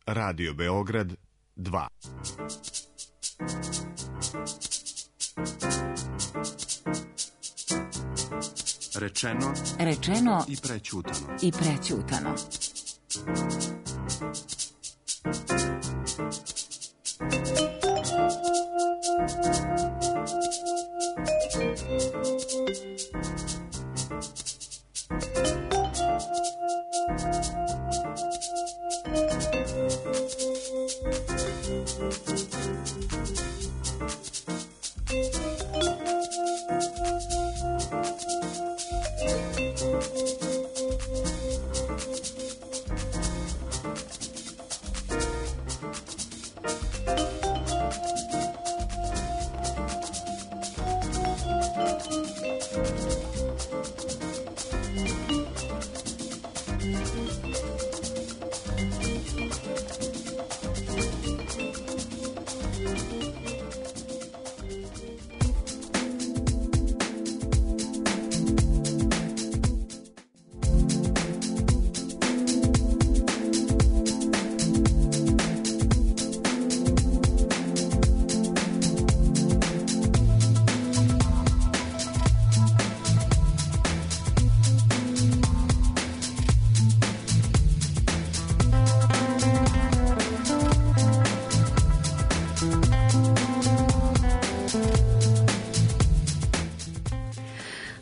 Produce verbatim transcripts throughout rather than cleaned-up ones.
Radio Beograd dva. Rečeno, Rečeno i prećutano. I prećutano.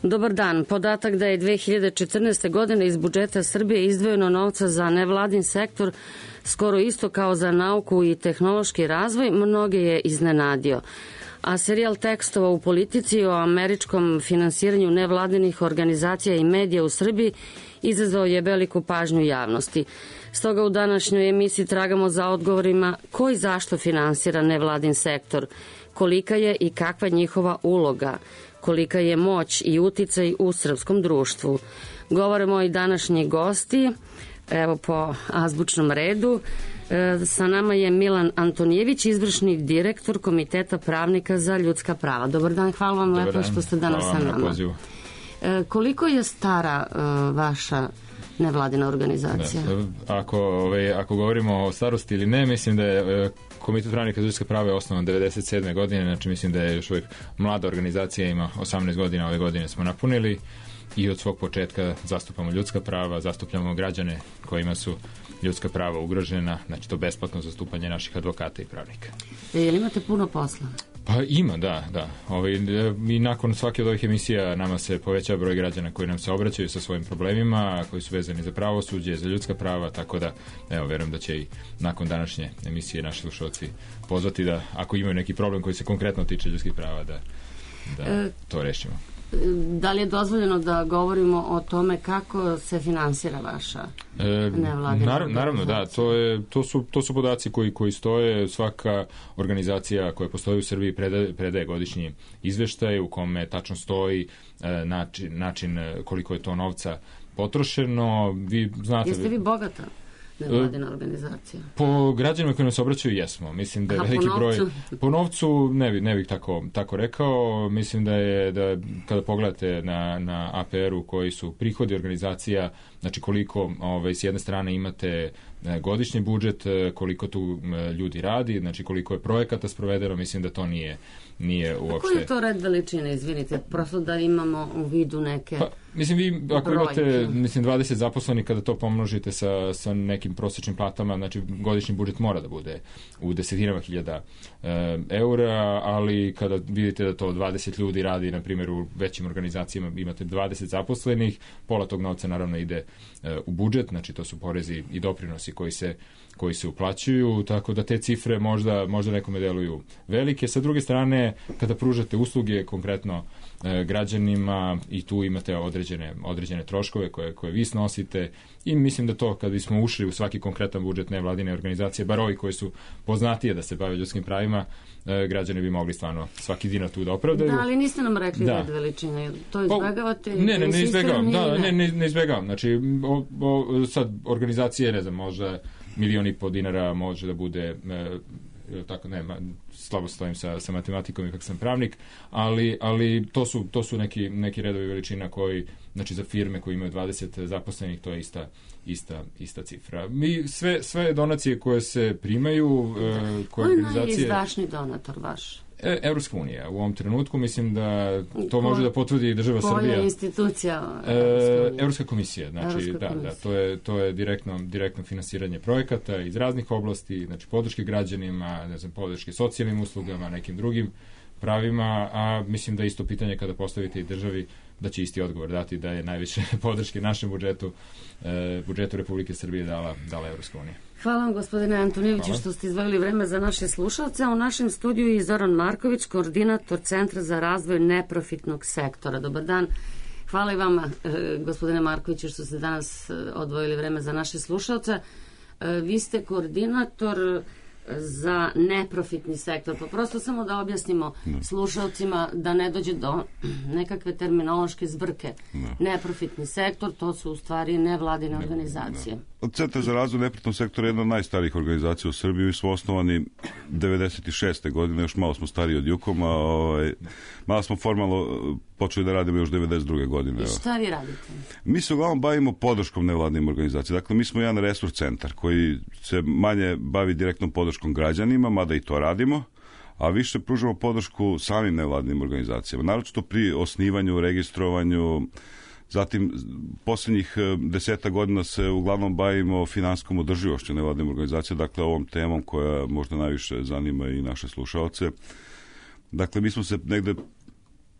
Dobar dan. Podatak da je dve hiljade četrnaeste. godine iz budžeta Srbije izdvojeno novca za nevladin sektor skoro isto kao za nauku i tehnološki razvoj, mnoge je iznenadio. A serijal tekstova u politici o američkom finansiranju nevladinih organizacija i medija u Srbiji izazvao je veliku pažnju javnosti. Stoga u današnjoj emisiji tragamo za odgovorima ko i zašto finansira nevladin sektor, kolika je i kakva njihova uloga, kolika je moć i uticaj u srpskom društvu. Govore moji današnji gosti, evo po azbučnom redu. E, sa nama je Milan Antonijević, izvršni direktor Komiteta pravnika za ljudska prava. Dobar dan, hvala vam Dobar lepo dan. što ste danas Hvala sa nama. E, koliko je stara e, vaša nevladina organizacija? Da, ako, ove, ako govorimo o starosti ili ne, mislim da je e, Komitet pravnika za ljudska prava je osnovan devedeset sedme. godine, znači mislim da je još uvijek mlada organizacija, ima osamnaest godina, ove godine smo napunili i od svog početka zastupamo ljudska prava, zastupljamo građane kojima su ljudska prava ugrožena, znači to besplatno zastupanje naših advokata i pravnika. E, je li imate puno posla? Pa ima, da, da. Ovaj, i nakon svake od ovih emisija nama se poveća broj građana koji nam se obraćaju sa svojim problemima, koji su vezani za pravosuđe, za ljudska prava, tako da, evo, verujem da će i nakon današnje emisije naši slušalci pozvati da, ako imaju neki problem koji se konkretno tiče ljudskih prava, da, da e, to rešimo. Da li je dozvoljeno da govorimo o tome kako se finansira vaša e, nevladina nar, Naravno, da, to, je, to, su, to su podaci koji, koji stoje. Svaka organizacija koja postoji u Srbiji predaje, predaje godišnji izveštaj u kome tačno stoji e, način, način koliko je to novca potrošeno. Vi znate, jeste vi bogata nevladina organizacija? Po građanima koji nas obraćaju jesmo. Mislim da je Aha, veliki po broj... Po novcu ne, bi, ne bih tako, tako rekao. Mislim da je, da kada pogledate na, na A P R-u koji su prihodi organizacija, znači koliko ovaj, s jedne strane imate godišnji budžet, koliko tu ljudi radi, znači koliko je projekata sprovedeno, mislim da to nije, nije uopšte... Koji je to red veličine, izvinite, prosto da imamo u vidu neke... Pa, mislim, vi ako brojke. imate mislim, dvadeset zaposlenih, kada to pomnožite sa, sa nekim prosječnim platama, znači godišnji budžet mora da bude u desetinama hiljada e, eura, ali kada vidite da to dvadeset ljudi radi, na primjer u većim organizacijama imate dvadeset zaposlenih, pola tog novca naravno ide e, u budžet, znači to su porezi i doprinosi koji se, koji se uplaćuju, tako da te cifre možda, možda nekome deluju velike. Sa druge strane, kada pružate usluge konkretno e, građanima i tu imate određene, određene troškove koje, koje vi snosite i mislim da to kad bismo ušli u svaki konkretan budžet nevladine organizacije, bar ovi koji su poznatije da se bave ljudskim pravima, e, građani bi mogli stvarno svaki dinar tu da opravdaju. Da, ali niste nam rekli da. red veličine, to izbegavate? Ne, ne, ne izbegavam, da, ne, ne, ne izbegavam. Znači, o, o, sad organizacije, ne znam, možda milion i po dinara može da bude e, tako ne, ma, slabo stojim sa, sa matematikom ipak sam pravnik, ali, ali to su, to su neki, neki redovi veličina koji, znači za firme koji imaju dvadeset zaposlenih, to je ista, ista, ista cifra. Mi sve, sve donacije koje se primaju, e, koje Ko je organizacije... najizdašniji donator vaš? E, Evropska unija. U ovom trenutku mislim da to ko, može da potvrdi država koja Srbija. Koja je institucija? E, Evropska komisija. Znači, Evropska da, komisija. da, to je, to je direktno, direktno finansiranje projekata iz raznih oblasti, znači podrške građanima, ne znam, podrške socijalnim uslugama, nekim drugim pravima, a mislim da isto pitanje kada postavite i državi, da će isti odgovor dati da je najviše podrške našem budžetu, e, budžetu Republike Srbije dala, dala Evropska unija. Hvala vam, gospodine Antonijeviću, Hvala. što ste izdvojili vreme za naše slušalce. U našem studiju je Zoran Marković, koordinator Centra za razvoj neprofitnog sektora. Dobar dan. Hvala i vama, gospodine Markoviću, što ste danas odvojili vreme za naše slušalce. Vi ste koordinator za neprofitni sektor. Pa prosto samo da objasnimo no. slušalcima da ne dođe do nekakve terminološke zbrke. No. Neprofitni sektor, to su u stvari nevladine no. organizacije. No. Centar za razvoj neprofitnog sektora je jedna od najstarijih organizacija u Srbiji. Mi smo osnovani devedeset šeste godine, još malo smo stariji od Jukoma, ovaj, malo smo formalno počeli da radimo još devedeset druge godine. I šta vi radite? Mi se uglavnom bavimo podrškom nevladnim organizacijama. Dakle, mi smo jedan resurs centar koji se manje bavi direktnom podrškom građanima, mada i to radimo, a više pružamo podršku samim nevladnim organizacijama. Naročito pri osnivanju, registrovanju. Zatim, posljednjih deseta godina se uglavnom bavimo finansijskom održivošću nevladnim organizacija, dakle ovom temom koja možda najviše zanima i naše slušaoce. Dakle, mi smo se negde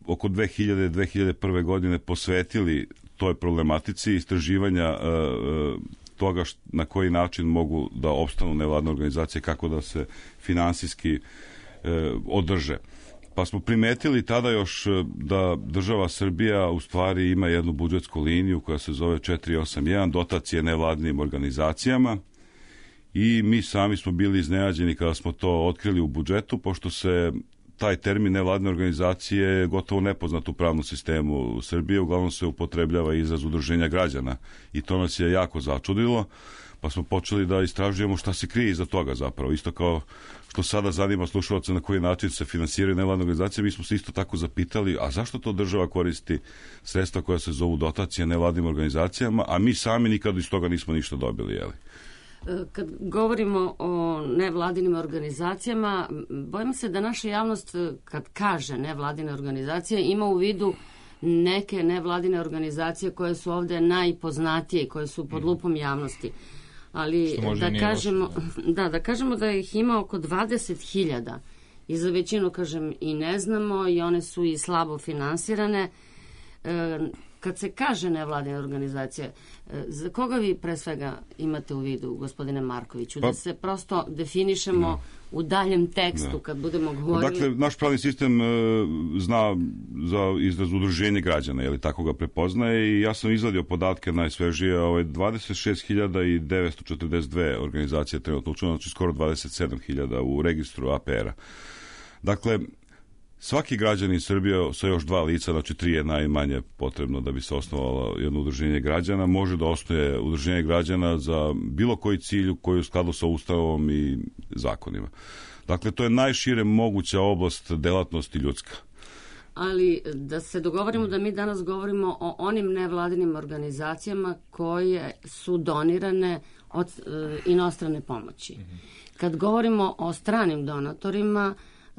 oko dve hiljade do dve hiljade prve godine posvetili toj problematici istraživanja e, toga št, na koji način mogu da opstanu nevladne organizacije, kako da se finansijski e, održe. Pa smo primetili tada još da država Srbija u stvari ima jednu budžetsku liniju koja se zove četiri osam jedan, dotacije nevladnim organizacijama, i mi sami smo bili iznenađeni kada smo to otkrili u budžetu, pošto se taj termin nevladne organizacije gotovo nepoznat u pravnom sistemu Srbije, uglavnom se upotrebljava izraz udruženja građana i to nas je jako začudilo, pa smo počeli da istražujemo šta se krije iza toga zapravo. Isto kao što sada zanima slušalce na koji način se finansiraju nevladne organizacije, mi smo se isto tako zapitali, a zašto to država koristi sredstva koja se zovu dotacije nevladnim organizacijama, a mi sami nikad iz toga nismo ništa dobili, jeli? Kad govorimo o nevladinim organizacijama, bojim se da naša javnost, kad kaže nevladine organizacije, ima u vidu neke nevladine organizacije koje su ovde najpoznatije i koje su pod lupom javnosti. Ali da kažemo, da, da kažemo da ih ima oko dvadeset hiljada i za većinu, kažem, i ne znamo i one su i slabo finansirane. E, kad se kaže nevladine organizacije, e, za koga vi pre svega imate u vidu, gospodine Markoviću, pa, da se prosto definišemo ne. u daljem tekstu, ne. kad budemo govorili... Dakle, naš pravni sistem e, zna za izraz udruženje građana, je li tako ga prepoznaje, i ja sam izvadio podatke najsvežije, ovaj, dvadeset šest hiljada devetsto četrdeset dve organizacije trenutno učeno, znači skoro dvadeset sedam hiljada u registru A P R-a. Dakle, svaki građanin Srbije sa još dva lica, znači tri je najmanje potrebno da bi se osnovalo jedno udruženje građana, može da osnuje udruženje građana za bilo koji cilj koji je u skladu sa Ustavom i zakonima. Dakle, to je najšire moguća oblast delatnosti ljudska. Ali da se dogovorimo da mi danas govorimo o onim nevladinim organizacijama koje su donirane od e, inostrane pomoći. Kad govorimo o stranim donatorima,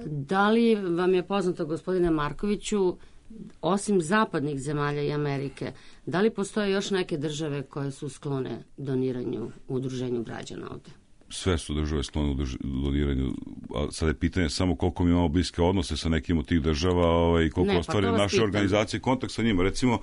da li vam je poznato, gospodine Markoviću, osim zapadnih zemalja i Amerike, da li postoje još neke države koje su sklone doniranju u udruženju građana ovde? Sve su države sklone u doniranju, a sad je pitanje samo koliko mi imamo bliske odnose sa nekim od tih država, ovaj, i koliko ne, ostvari pa naše pitam. organizacije kontakt sa njima. Recimo,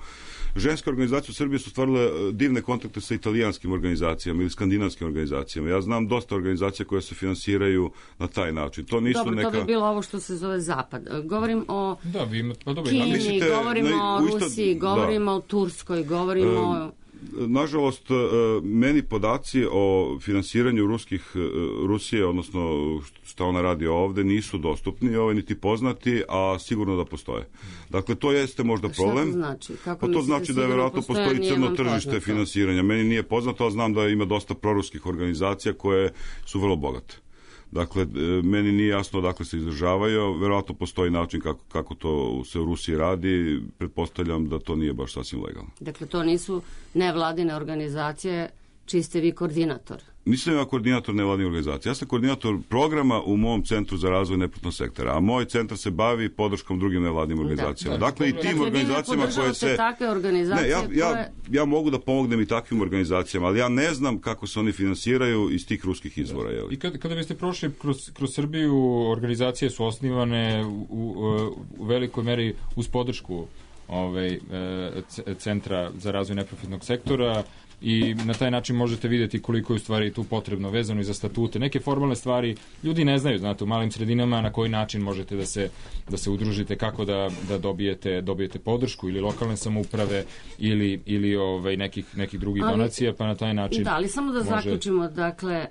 ženske organizacije u Srbiji su stvarile divne kontakte sa italijanskim organizacijama ili skandinavskim organizacijama. Ja znam dosta organizacija koje se finansiraju na taj način. To nisu dobro, neka... to bi bilo ovo što se zove Zapad. Govorim o da, vi imate, pa dobro, Kini, mislite, govorimo na, o Rusiji, da. govorimo o Turskoj, govorimo um, o... Nažalost, meni podaci o finansiranju ruskih, Rusije, odnosno šta ona radi ovde, nisu dostupni, ovaj, niti poznati, a sigurno da postoje. Dakle, to jeste možda problem. Šta to znači? Kako pa to znači da je vjerojatno postoji crno tržište finansiranja. Meni nije poznato, ali znam da ima dosta proruskih organizacija koje su vrlo bogate. Dakle, meni nije jasno odakle se izdržavaju, verovatno postoji način kako, kako to se u Rusiji radi, pretpostavljam da to nije baš sasvim legalno. Dakle, to nisu nevladine organizacije čiji ste vi koordinator? Nisam ja koordinator nevladine organizacije, ja sam koordinator programa u mom centru za razvoj neprofitnog sektora, a moj centar se bavi podrškom drugim nevladinim organizacijama. Da, da. Dakle, i tim dakle, organizacijama koje se... takve organizacije ne, ja, ja, koje... ja mogu da pomognem i takvim organizacijama, ali ja ne znam kako se oni finansiraju iz tih ruskih izvora. Da. I kada, kada biste prošli kroz, kroz Srbiju, organizacije su osnivane u, u, u velikoj meri uz podršku ovaj, centra za razvoj neprofitnog sektora, i na taj način možete vidjeti koliko je u stvari tu potrebno vezano i za statute. Neke formalne stvari ljudi ne znaju, znate, u malim sredinama na koji način možete da se, da se udružite, kako da, da dobijete, dobijete podršku ili lokalne samouprave ili, ili ovaj, nekih, nekih drugih ali, donacija, pa na taj način... Da, ali samo da može... zaključimo, dakle,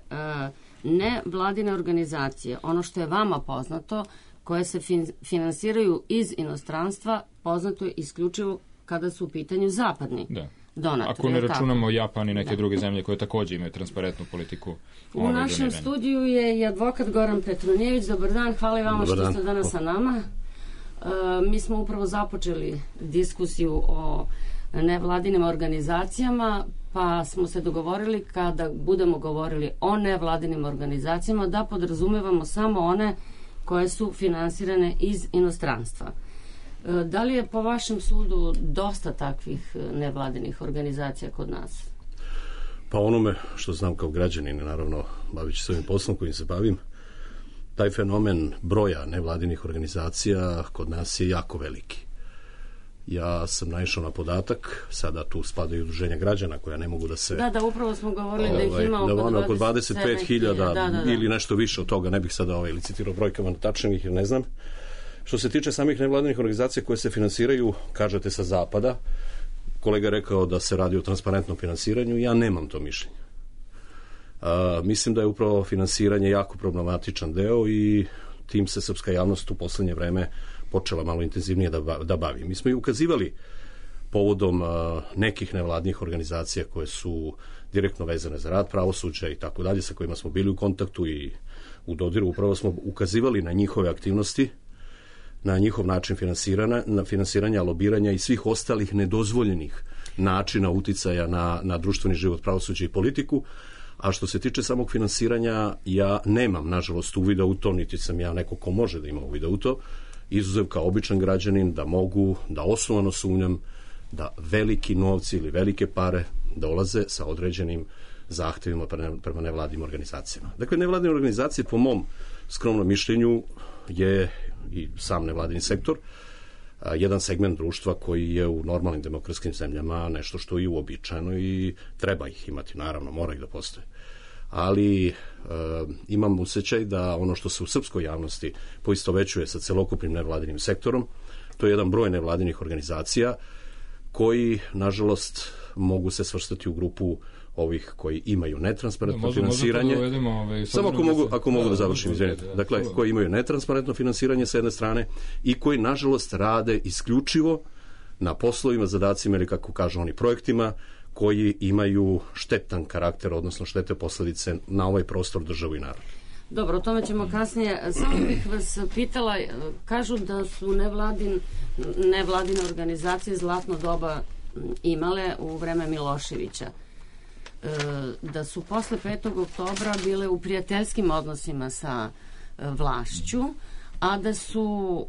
ne vladine organizacije, ono što je vama poznato, koje se fin, finansiraju iz inostranstva, poznato je isključivo kada su u pitanju zapadni. Da. Donator, ako ne računamo Japan i neke da. druge zemlje koje također imaju transparentnu politiku. U našem doniranja. Studiju je i advokat Goran Petronijević. Dobar dan, hvala vama Dobar što dan. ste danas sa nama. E, mi smo upravo započeli diskusiju o nevladinim organizacijama, pa smo se dogovorili kada budemo govorili o nevladinim organizacijama da podrazumevamo samo one koje su finansirane iz inostranstva. Da li je po vašem sudu dosta takvih nevladinih organizacija kod nas? Pa onome što znam kao građanin, naravno, bavići se ovim poslom kojim se bavim, taj fenomen broja nevladinih organizacija kod nas je jako veliki. Ja sam naišao na podatak, sada tu spadaju udruženja građana koja ne mogu da se... Da, da, upravo smo govorili ovaj, da ih ima oko, oko dvadeset pet hiljada ili nešto više od toga, ne bih sada ovaj, licitirao brojkama tačnih jer ne znam. Što se tiče samih nevladinih organizacija koje se finansiraju, kažete sa zapada, kolega je rekao da se radi o transparentnom finansiranju, ja nemam to mišljenje. A, mislim da je upravo finansiranje jako problematičan deo i tim se srpska javnost u poslednje vreme počela malo intenzivnije da, da bavi. Mi smo i ukazivali povodom a, nekih nevladnih organizacija koje su direktno vezane za rad pravosuđa i tako dalje, sa kojima smo bili u kontaktu i u dodiru, upravo smo ukazivali na njihove aktivnosti, na njihov način finansiranja, na finansiranja, lobiranja i svih ostalih nedozvoljenih načina uticaja na, na društveni život, pravosuđe i politiku. A što se tiče samog finansiranja, ja nemam, nažalost, uvida u to, niti sam ja neko ko može da ima uvida u to, izuzev kao običan građanin da mogu, da osnovano sumnjam da veliki novci ili velike pare dolaze sa određenim zahtevima prema nevladnim organizacijama. Dakle, nevladine organizacije, po mom skromnom mišljenju, je i sam nevladini sektor, a, jedan segment društva koji je u normalnim demokratskim zemljama nešto što je uobičajeno i treba ih imati, naravno, mora ih da postoje. Ali a, imam osjećaj da ono što se u srpskoj javnosti poistovećuje sa celokupnim nevladinim sektorom, to je jedan broj nevladinih organizacija koji, nažalost, mogu se svrstati u grupu ovih koji imaju netransparentno da, finansiranje. Da uvedemo, ovaj, Samo ako mogu, ako mogu da, da završim, izvinite. Da, dakle, da. koji imaju netransparentno finansiranje sa jedne strane i koji, nažalost, rade isključivo na poslovima, zadacima ili, kako kažu oni, projektima koji imaju štetan karakter, odnosno štete posledice na ovaj prostor, državu i narod. Dobro, o tome ćemo kasnije. Samo bih vas pitala, kažu da su nevladin, nevladine organizacije zlatno doba imale u vreme Miloševića. Da su posle petog oktobra bile u prijateljskim odnosima sa vlašću, a da su,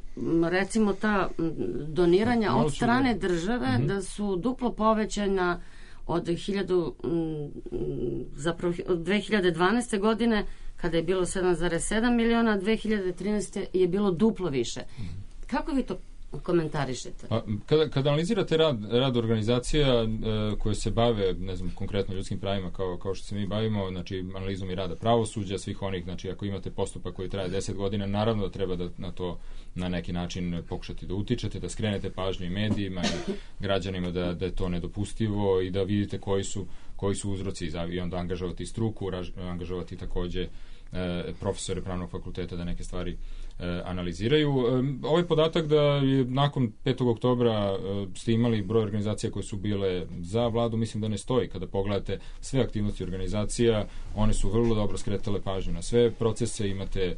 recimo, ta doniranja od strane države, da su duplo povećana od hiljadu, zapravo od dve hiljade dvanaeste. godine, kada je bilo sedam zarez sedam miliona, dve hiljade trinaeste. je bilo duplo više. Kako vi to komentarišete? A, kada, kada analizirate rad, rad organizacija e, koje se bave, ne znam, konkretno ljudskim pravima kao, kao što se mi bavimo, znači analizom i rada pravosuđa, svih onih, znači ako imate postupak koji traje deset godina, naravno da treba da na to na neki način pokušati da utičete, da skrenete pažnju i medijima i građanima da, da je to nedopustivo i da vidite koji su koji su uzroci i onda angažovati struku, angažovati takođe profesore pravnog fakulteta da neke stvari analiziraju. Ovaj podatak da je nakon petog oktobra ste imali broj organizacija koje su bile za vladu, mislim da ne stoji. Kada pogledate sve aktivnosti organizacija, one su vrlo dobro skretale pažnju na sve procese, imate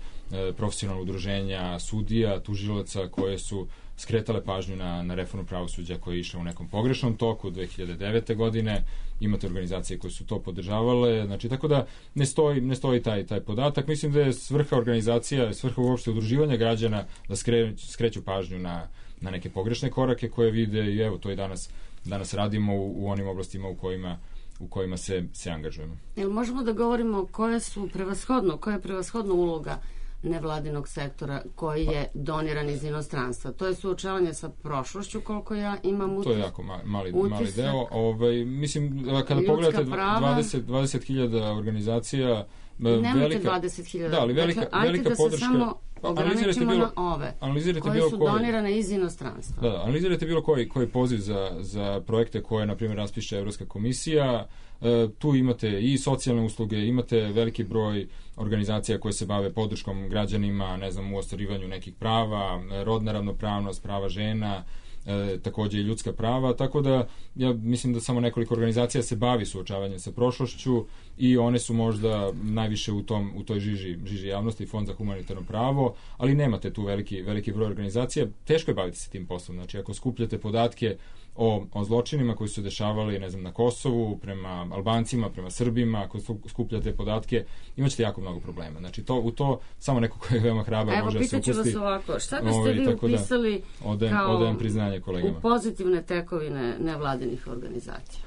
profesionalna udruženja sudija, tužilaca koje su skretale pažnju na, na reformu pravosuđa koja je išla u nekom pogrešnom toku dve hiljade devete. godine, imate organizacije koje su to podržavale, znači tako da ne stoji, ne stoji taj, taj podatak. Mislim da je svrha organizacija, svrha uopšte udruživanja građana da skre, skreću pažnju na, na neke pogrešne korake koje vide i evo to i danas, danas radimo u, u onim oblastima u kojima u kojima se, se angažujemo. Jel možemo da govorimo koje su prevashodno, koja je prevashodna uloga nevladinog sektora koji je doniran iz inostranstva? To je suočavanje sa prošlošću, koliko ja imam utisak. To je jako mali, mali deo. Ovaj, mislim, kada pogledate dvadeset, dvadeset hiljada organizacija, nemojte velika, dvadeset hiljada. Da, ali velika, dakle, velika da podrška. Samo ograničimo bilo, na ove koje bilo su koji, donirane iz inostranstva. Da, analizirajte bilo koji, koji poziv za, za projekte koje, na primjer, raspiše Evropska komisija. E, tu imate i socijalne usluge, imate veliki broj organizacija koje se bave podrškom građanima, ne znam, u ostvarivanju nekih prava, rodna ravnopravnost, prava žena, e, takođe i ljudska prava, tako da ja mislim da samo nekoliko organizacija se bavi suočavanjem sa prošlošću i one su možda najviše u tom u toj žiži, žiži javnosti, Fond za humanitarno pravo, ali nemate tu veliki, veliki broj organizacija. Teško je baviti se tim poslom, znači ako skupljate podatke o, o zločinima koji su se dešavali, ne znam, na Kosovu, prema Albancima, prema Srbima, ako skupljate podatke, imaćete jako mnogo problema. Znači, to, u to samo neko ko je veoma hrabar Evo, može da se upusti. Evo, pitaću vas ovako, šta biste vi upisali da, odajem, kao odajem priznanje kolegama. U pozitivne tekovine nevladinih organizacija?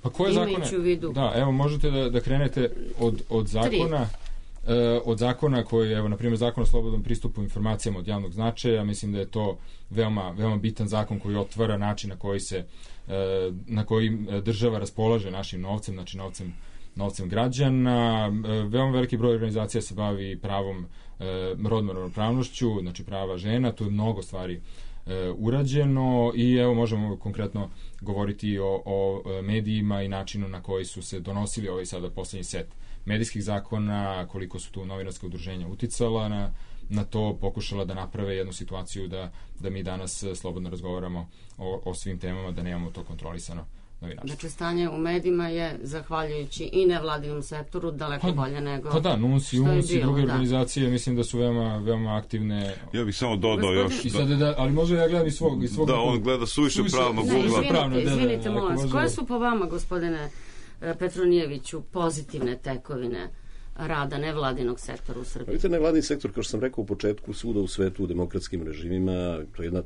Pa koje zakone? Vidu. Da, evo, možete da, da krenete od, od zakona... Tri. od zakona koji, evo, na primjer, zakon o slobodnom pristupu informacijama od javnog značaja, mislim da je to veoma, veoma bitan zakon koji otvara način na koji se, na koji država raspolaže našim novcem, znači novcem, novcem građana. Veoma veliki broj organizacija se bavi pravom rodnom ravnopravnošću, znači prava žena, tu je mnogo stvari urađeno i evo možemo konkretno govoriti o, o medijima i načinu na koji su se donosili ovaj sada poslednji set medijskih zakona, koliko su tu novinarska udruženja uticala na, na to, pokušala da naprave jednu situaciju da, da mi danas slobodno razgovaramo o, o svim temama, da nemamo to kontrolisano novinarstvo. Znači, stanje u medijima je, zahvaljujući i nevladinom sektoru, daleko pa, bolje nego... Pa da, N U N S i U N S i druge da. organizacije, mislim da su veoma, veoma aktivne. Ja bih samo dodao još... I sad, da, ali može ja gledam iz svog... Iz svog da, on gleda suviše pravnog ugla. Izvinite, pravno, izvinite, da, da, molim vas. može... Koje su po vama, gospodine Petronijeviću, pozitivne tekovine rada nevladinog sektora u Srbiji? Vidite, nevladini sektor, kao što sam rekao u početku, svuda u svetu, u demokratskim režimima, to je jedna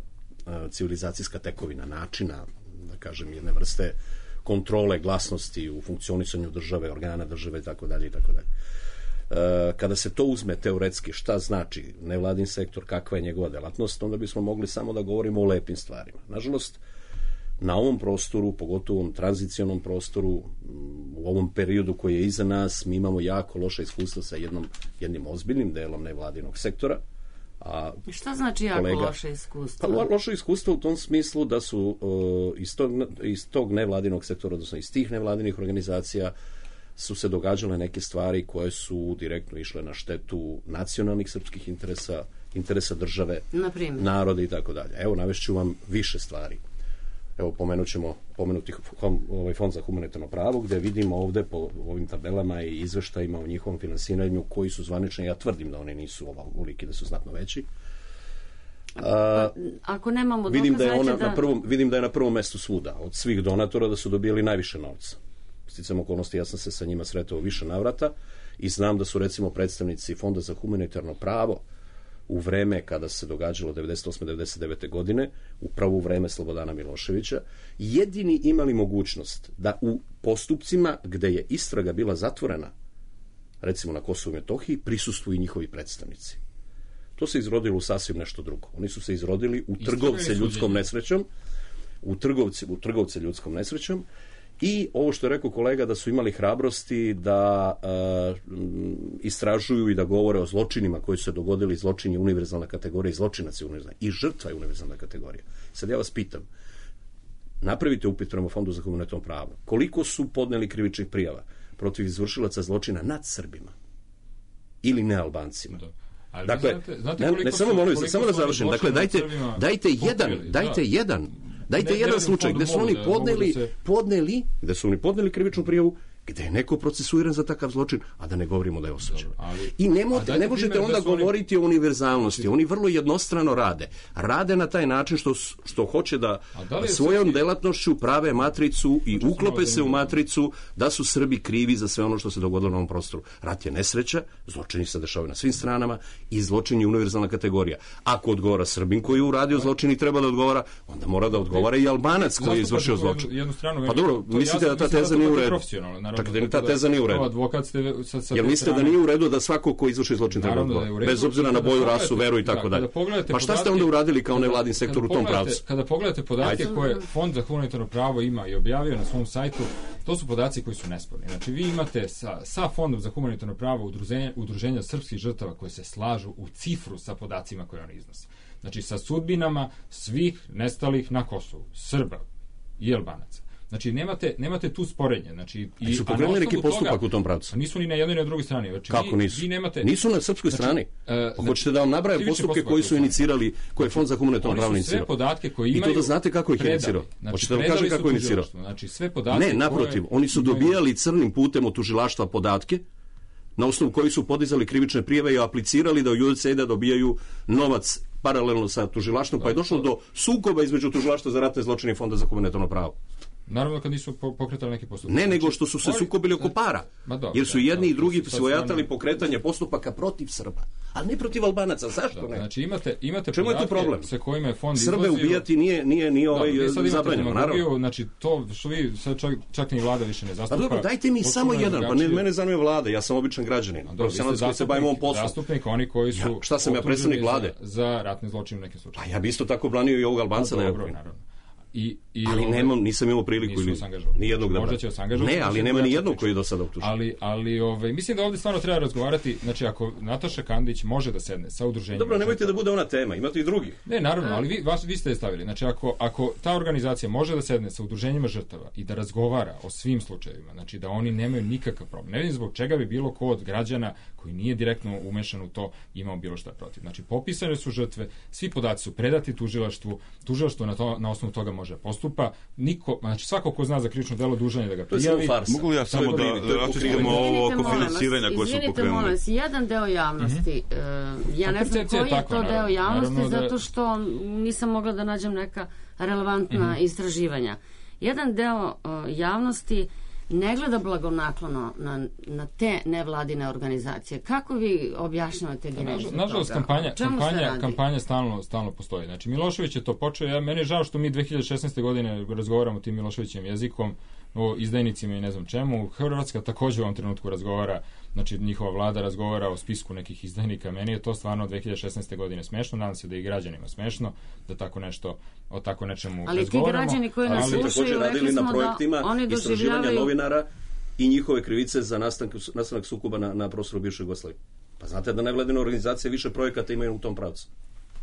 a, civilizacijska tekovina, načina, da kažem, jedne vrste kontrole glasnosti u funkcionisanju države, organa države i tako dalje i tako dalje. Kada se to uzme teoretski, šta znači nevladin sektor, kakva je njegova delatnost, onda bismo mogli samo da govorimo o lepim stvarima. Nažalost, na ovom prostoru, pogotovo u ovom tranzicionom prostoru, u ovom periodu koji je iza nas, mi imamo jako loše iskustva sa jednom, jednim ozbiljnim delom nevladinog sektora. A šta znači jako kolega, loše iskustvo? Pa loše iskustvo u tom smislu da su uh, iz, tog, iz tog nevladinog sektora, odnosno iz tih nevladinih organizacija su se događale neke stvari koje su direktno išle na štetu nacionalnih srpskih interesa, interesa države, naroda i tako dalje. Evo, navešću vam više stvari. Evo, pomenut ćemo pomenuti ovaj Fond za humanitarno pravo, gde vidimo ovde po ovim tabelama i izveštajima o njihovom finansiranju koji su zvanični. Ja tvrdim da oni nisu ovoliki, da su znatno veći. A, ako nemamo dokaz, vidim da je ona da... na prvom, vidim da je na prvom mestu svuda od svih donatora, da su dobili najviše novca. Sticam okolnosti, ja sam se sa njima sretao više navrata i znam da su recimo predstavnici Fonda za humanitarno pravo u vreme kada se događalo devedeset osme devedeset devete godine, upravo u vreme Slobodana Miloševića, jedini imali mogućnost da u postupcima gde je istraga bila zatvorena, recimo na Kosovu i Metohiji, prisustvuju njihovi predstavnici. To se izrodilo u sasvim nešto drugo. Oni su se izrodili u trgovce ljudskom nesrećom, u trgovce, u trgovce ljudskom nesrećom. I ovo što je rekao kolega, da su imali hrabrosti da uh, istražuju i da govore o zločinima koji su se dogodili. Zločin je univerzalna kategorija i zločinac je univerzalna i žrtva je univerzalna kategorija. Sad ja vas pitam, napravite upit prema Fondu za humanitarno pravo. Koliko su podneli krivičnih prijava protiv izvršilaca zločina nad Srbima ili nealbancima? Ali dakle, znate, znate ne, ne samo molim se, samo da završim. Dakle, dajte, dajte jedan, dajte da. jedan, dajte ne, jedan slučaj gde su oni da, podneli, da se... podneli, gde su oni podneli krivičnu prijavu, gde je neko procesuiran za takav zločin, a da ne govorimo da je osuđen. I ne, mo, ne možete onda govoriti oni... o univerzalnosti. Oni vrlo jednostrano rade. Rade na taj način što, što hoće da, da svojom Srbi... delatnošću prave matricu i Možda uklope se u matricu da su Srbi krivi za sve ono što se dogodilo na ovom prostoru. Rat je nesreća, zločini se dešavaju na svim stranama i zločin je univerzalna kategorija. Ako odgovara Srbin koji je uradio zločin i treba da odgovara, onda mora da odgovara i Albanac koji je izvršio zločin. Pa dobro, mislite da ta teza nije u redu? Tako da ta teza nije u redu. Advokat ste sa, sa Jel mislite da nije u redu da svako ko izvrši zločin treba odgovarati? Bez obzira na boju, rasu, veru i tako dalje. Pa šta ste onda uradili kao nevladin sektor u tom pravcu? Kada pogledate podatke koje Fond za humanitarno pravo ima i objavio na svom sajtu, to su podaci koji su nesporni. Znači vi imate sa, sa Fondom za humanitarno pravo udruženja, udruženja srpskih žrtava koje se slažu u cifru sa podacima koje oni iznose. Znači sa sudbinama svih nestalih na Kosovu, Srba i Albanaca. Znači, nemate, nemate tu sporenje. Znači, i, su pokrenuli neki postupak toga, u tom pravcu? Nisu ni na jednoj ni na drugoj strani. Znači, Kako vi, nisu? Vi nemate, nisu na srpskoj znači, strani. Uh, pa hoćete da vam nabraje postupke koji su inicirali, koje je Fond za humanitarno pravo inicirao? Sve podatke koje imaju... I to da znate kako ih je inicirao? Znači, hoćete da vam kažem kako je inicirao? Znači, sve podatke ne, naprotiv. Koje... Oni su dobijali crnim putem od tužilaštva podatke na osnovu koji su podizali krivične prijave i aplicirali da u U S A I D dobijaju novac paralelno sa tužilaštvom, pa je došlo do sukoba između tužilaštva za ratne zločine i Fonda za humanitarno pravo. Naravno kad nisu pokretali neki postupak. Ne, nego što su se sukobili oko para. Jer su jedni i drugi svojatali pokretanje postupaka protiv Srba, ali ne protiv Albanaca. Zašto ne? Znači imate imate Čemu je to problem? Sa kojima je fond Srbe izlazio... ubijati nije nije nije ovaj zabranjeno, naravno. Znači to što vi sad čak, čak ni vlada više ne zastupa. Pa dobro, dajte mi samo jedan, pa ne mene zanima vlada, ja sam običan građanin. Profesionalac koji se bavim ovom poslom. Zastupnik oni koji su Šta sam ja predstavnik vlade? Za ratne zločine u nekim slučajevima. A ja bih isto tako branio i ovog Albanca da je. I, i ali ove, nemam, nisam imao priliku ili ni jednog da možda će se angažovati. Ne, ali nema ni jednog koji je do sada optužen. Ali, ali ove, mislim da ovdje stvarno treba razgovarati, znači ako Nataša Kandić može da sedne sa udruženjem... Dobro, nemojte da bude ona tema, imate i drugih. Ne, naravno, ali vi, vas, vi ste je stavili. Znači ako, ako ta organizacija može da sedne sa udruženjima žrtava i da razgovara o svim slučajevima, znači da oni nemaju nikakav problem. Ne vidim zbog čega bi bilo ko od građana koji nije direktno umešan u to imao bilo šta protiv. Znači popisane su žrtve, svi podaci su predati tužilaštvu, tužilaštvo na, to, na osnovu toga može postupa. Niko, znači svako ko zna za krivično delo dužan je da ga prijavi. Mogu li ja samo da raščistimo ovo oko finansiranja koje su pokrenuli? Izvinite, molim vas, jedan deo javnosti, mm-hmm. uh, ja ne znam koji je, je to naravno, deo javnosti, da... zato što nisam mogla da nađem neka relevantna mm-hmm. istraživanja. Jedan deo uh, javnosti ne gleda blagonaklono na, na te nevladine organizacije. Kako vi objašnjavate genezu toga? Nažalost, kampanja, kampanja, kampanja stalno, stalno postoji. Znači, Milošević je to počeo. Ja, meni je žao što mi dve hiljade šesnaeste. godine razgovaramo tim Miloševićem jezikom, o izdajnicima i ne znam čemu. Hrvatska također u ovom trenutku razgovara, znači njihova vlada razgovara o spisku nekih izdajnika. Meni je to stvarno dve hiljade šesnaeste. godine smešno. Nadam se da i građanima smešno da tako nešto, o tako nečemu ali razgovaramo. Ali ti građani koji nas slušaju, rekli smo da oni doživljavaju novinara i njihove krivice za nastanak, nastanak sukoba na, na prostoru bivše Jugoslavije. Pa znate da nevladine organizacije više projekata imaju u tom pravcu.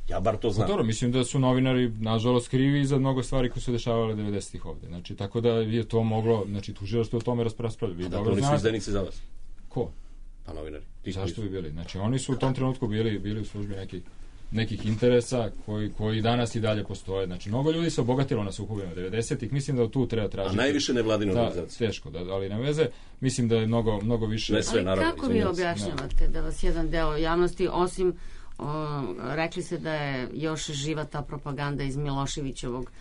Ja bar to znam. Dobro, mislim da su novinari nažalost krivi za mnogo stvari koje su dešavale devedesetih ovde. Znači, tako da je to moglo, znači, tužilaštvo o tome raspravljali. A da, to nisu izdajnici za vas? Ko? Pa novinari. Zašto bi bili? Znači, oni su u tom trenutku bili, bili u službi nekih nekih interesa koji, koji danas i dalje postoje. Znači, mnogo ljudi se obogatilo na sukobima devedesetih. Mislim da tu treba tražiti... A najviše nevladine organizacije. Teško, da, ali ne veze. Mislim da je mnogo, mnogo više... Ne sve, naravno. Ali kako vi objašnjavate da vas jedan deo javnosti, osim o, rekli se da je još živa ta propaganda iz Miloševićevog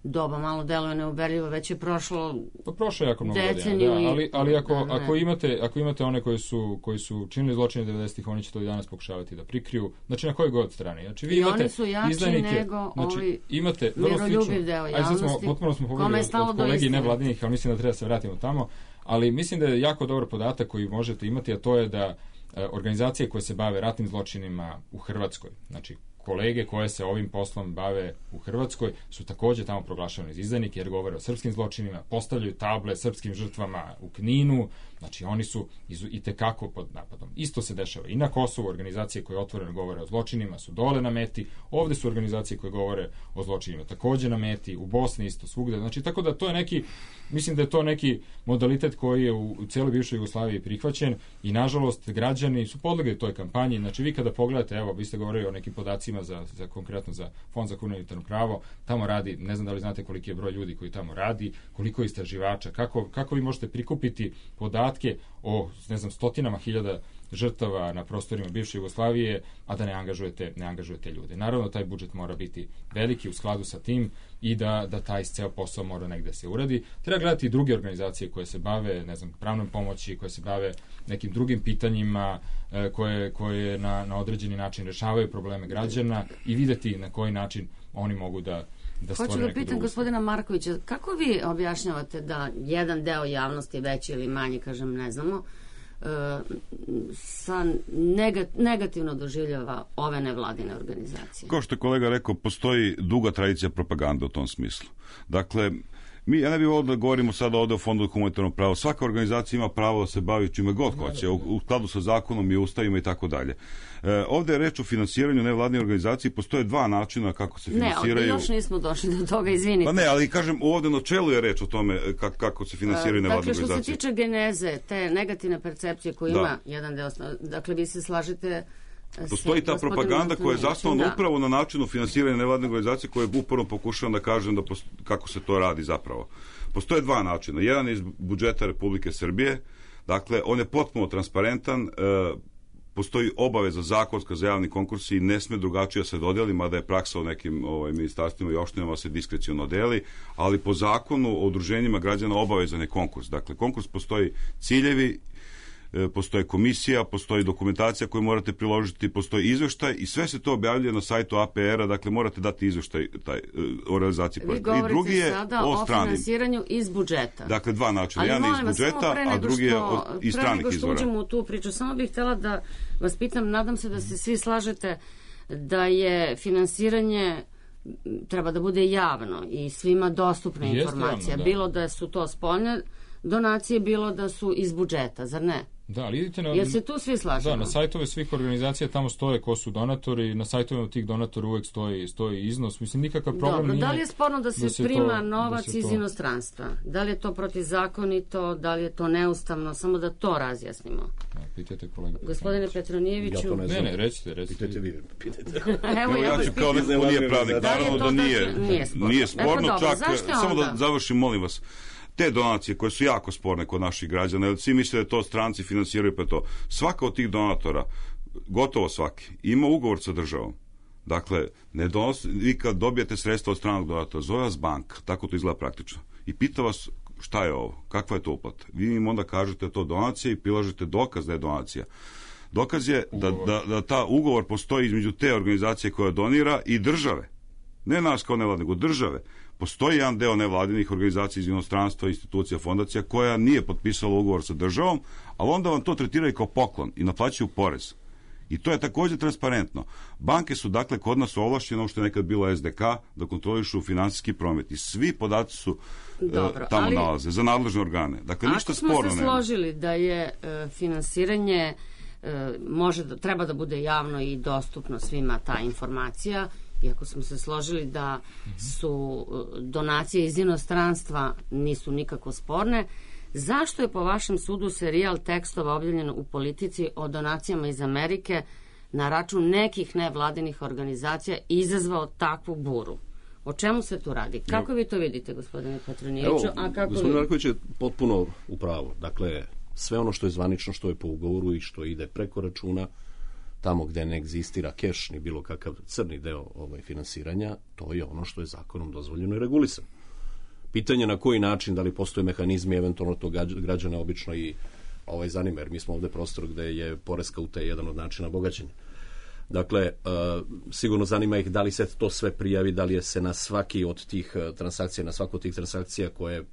doba, malo deluje neuverljivo, već je prošlo pa prošlo je jako mnogo godina, da, ali, ali ako, da, ako, imate, ako imate one koji su, koji su činili zločine devedesetih, oni će to i danas pokušavati da prikriju, znači na kojoj god strani. Znači, vi i imate oni su jači izdajnike, nego znači, ovi imate vrlo slično, deo javnosti, smo, potpuno smo pogledali od, od kolegi nevladinih, ali mislim da treba se vratimo tamo, ali mislim da je jako dobar podatak koji možete imati, a to je da e, organizacije koje se bave ratnim zločinima u Hrvatskoj, znači kolege koje se ovim poslom bave u Hrvatskoj su također tamo proglašavani za izdajnike jer govore o srpskim zločinima, postavljaju table srpskim žrtvama u Kninu, Znači, oni su i tekako pod napadom. Isto se dešava i na Kosovu, organizacije koje otvoreno govore o zločinima su dole na meti, ovde su organizacije koje govore o zločinima takođe na meti, u Bosni isto, svugde. Znači, tako da to je neki, mislim da je to neki modalitet koji je u, u cijeloj bivšoj Jugoslaviji prihvaćen i, nažalost, građani su podlegli toj kampanji. Znači, vi kada pogledate, evo, vi ste govorili o nekim podacima za, za konkretno za Fond za humanitarno pravo, tamo radi, ne znam da li znate koliki je broj ljudi koji tamo radi, koliko je istraživača, kako, kako vi možete prikupiti podatke o, ne znam, stotinama hiljada žrtava na prostorima bivše Jugoslavije, a da ne angažujete, ne angažujete ljude. Naravno, taj budžet mora biti veliki u skladu sa tim i da, da taj ceo posao mora negde se uradi. Treba gledati i druge organizacije koje se bave, ne znam, pravnom pomoći, koje se bave nekim drugim pitanjima, koje, koje na, na određeni način rešavaju probleme građana i videti na koji način oni mogu da da Hoću da pitam gospodina Markovića, kako vi objašnjavate da jedan deo javnosti, veći ili manji, kažem, ne znamo, sa negativno doživljava ove nevladine organizacije? Kao što je kolega rekao, postoji duga tradicija propagande u tom smislu. Dakle, mi, ja ne bih ovdje da govorimo sada ovdje o Fondu humanitarnog prava. Svaka organizacija ima pravo da se bavi čime god hoće, u, u skladu sa zakonom i ustavima i tako dalje. E, ovdje je reč o finansiranju nevladine organizacije, postoje dva načina kako se finansiraju. Ne, ovdje još nismo došli do toga, izvinite. Pa ne, ali kažem, ovdje na čelu je reč o tome kako, kako se finansiraju nevladine dakle, organizacije. Dakle, što se tiče geneze, te negativne percepcije koje ima jedan deo, dakle, vi se slažete... Postoji ta propaganda koja je zasnovana da. upravo na načinu finansiranja nevladne organizacije koje uporno pokušavam da kažem da post... kako se to radi zapravo. Postoje dva načina. Jedan je iz budžeta Republike Srbije, dakle, on je potpuno transparentan, e, postoji obaveza zakonska za javni konkurs i ne sme drugačije se dodeli, mada je praksa u nekim ovaj, ministarstvima i opštinama se diskreciono deli, ali po zakonu o udruženjima građana obavezan je konkurs. Dakle, konkurs postoji ciljevi, postoji komisija, postoji dokumentacija koju morate priložiti, postoji izveštaj i sve se to objavljuje na sajtu A P R-a, dakle morate dati izveštaj taj, o realizaciji projekta. Vi govorite I drugi je sada o, o finansiranju iz budžeta. Dakle, dva načina. Jedan je iz budžeta, a drugi je od, iz stranih izvora. Pre nego što uđemo u tu priču, samo bih htjela da vas pitam, nadam se da se svi slažete da je finansiranje treba da bude javno i svima dostupna informacija. Javno, da. Bilo da su to spoljne donacije, bilo da su iz budžeta, zar ne? Da, ali idite na... Jel se tu svi slažemo? Da, na sajtove svih organizacija tamo stoje ko su donatori, na sajtovima tih donatora uvek stoji, stoji iznos. Mislim, nikakav problem Dobro, nije... Da li je sporno da se, da se prima to, novac da se iz to... inostranstva? Da li je to protivzakonito, da li je to neustavno? Samo da to razjasnimo. Ja, pitajte kolega. Gospodine Petronijeviću... Ja to ne znam. Ne, ne, recite, recite. Pitajte vi, pitajte. Evo, ja, ja ću kao neko ko nije pravnik. Naravno da nije, nije sporno. Nije sporno, e, pa, čak, samo da završim, molim vas. Te donacije koje su jako sporne kod naših građana, jer svi misle da to stranci finansiraju, pa to. Svaka od tih donatora, gotovo svaki, ima ugovor sa državom. Dakle, ne donosi, vi kad dobijete sredstva od stranog donatora, zove vas banka, tako to izgleda praktično, i pita vas šta je ovo, kakva je to uplata. Vi im onda kažete to donacija i prilažete dokaz da je donacija. Dokaz je da, da, da ta ugovor postoji između te organizacije koja donira i države. Ne nas kao nevladne, nego države. Postoji jedan deo nevladinih organizacija iz inostranstva, institucija, fondacija koja nije potpisala ugovor sa državom, ali onda vam to tretiraju kao poklon i naplaćuju porez. I to je također transparentno. Banke su dakle kod nas ovlašćene, što je nekad bilo S D K, da kontrolišu finansijski promet. I svi podaci su Dobro, uh, tamo ali, nalaze, za nadležne organe. Dakle, ništa sporno nema. Ako smo se složili da je uh, finansiranje uh, može da, treba da bude javno i dostupno svima ta informacija, iako smo se složili da su donacije iz inostranstva nisu nikako sporne, zašto je po vašem sudu serijal tekstova objavljen u Politici o donacijama iz Amerike na račun nekih nevladinih organizacija izazvao takvu buru? O čemu se tu radi? Kako Evo, vi to vidite, gospodine Petronijeviću? A kako gospodin vi... Marković je potpuno u pravu. Dakle, sve ono što je zvanično, što je po ugovoru i što ide preko računa, tamo gde ne egzistira keš ni bilo kakav crni deo ovaj, finansiranja, to je ono što je zakonom dozvoljeno i regulisano. Pitanje na koji način, da li postoje mehanizmi, eventualno to građana obično i ovaj, zanima, jer mi smo ovde prostor gde je poreska utaja jedan od načina bogaćenja. Dakle, uh, sigurno zanima ih da li se to sve prijavi, da li je se na svaki od tih uh, transakcija, na svaku od tih transakcija koje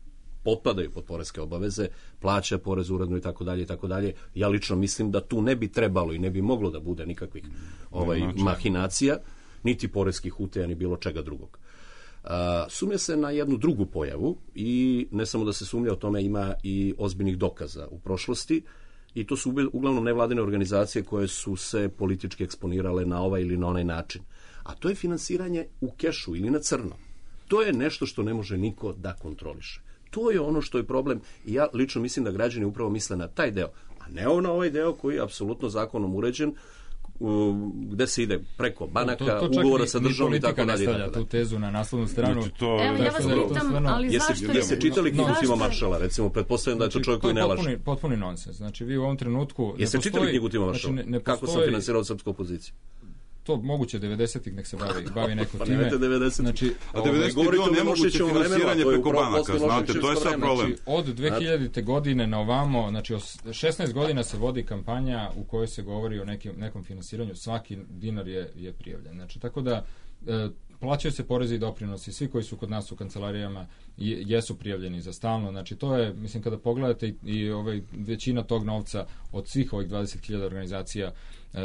potpadaju pod poreske obaveze, plaća porez uredno i tako dalje i tako dalje. Ja lično mislim da tu ne bi trebalo i ne bi moglo da bude nikakvih ovaj, mahinacija, niti poreskih utaja, ni bilo čega drugog. Sumnja se na jednu drugu pojavu i ne samo da se sumnja, o tome ima i ozbiljnih dokaza u prošlosti, i to su uglavnom nevladine organizacije koje su se politički eksponirale na ovaj ili na onaj način. A to je finansiranje u kešu ili na crno. To je nešto što ne može niko da kontroliše. To je ono što je problem i ja lično mislim da građani upravo misle na taj deo, a ne na ovaj deo koji je apsolutno zakonom uređen, gde se ide preko banaka, to, to ugovora sa državom i tako dalje. Politika ne stavlja tu tezu na naslovnu stranu. Znači, to, Evo, ja vas pitam, ali jeste, zašto... Jeste čitali knjigu Tima Maršala, recimo, pretpostavljam da je to čovjek koji ne laže. To je potpuni nonsens. Znači, vi u ovom trenutku... Jeste čitali knjigu Tima Maršala? Znači, ne, ne Kako postoji... sam finansirao srpsku opoziciju? To moguće devedesetih nek se bavi, bavi neko pa time. devedesetih. Znači, a devedesetih je bilo nemoguće finansiranje preko banaka, znate, to je sad problem. Znači, od dve hiljadite godine na ovamo, znači šesnaest godina se vodi kampanja u kojoj se govori o nekim, nekom finansiranju, svaki dinar je, je prijavljen. Znači, tako da e, plaćaju se porezi i doprinosi, svi koji su kod nas u kancelarijama jesu prijavljeni za stalno, znači to je, mislim, kada pogledate i, i ovaj, većina tog novca od svih ovih dvadeset hiljada organizacija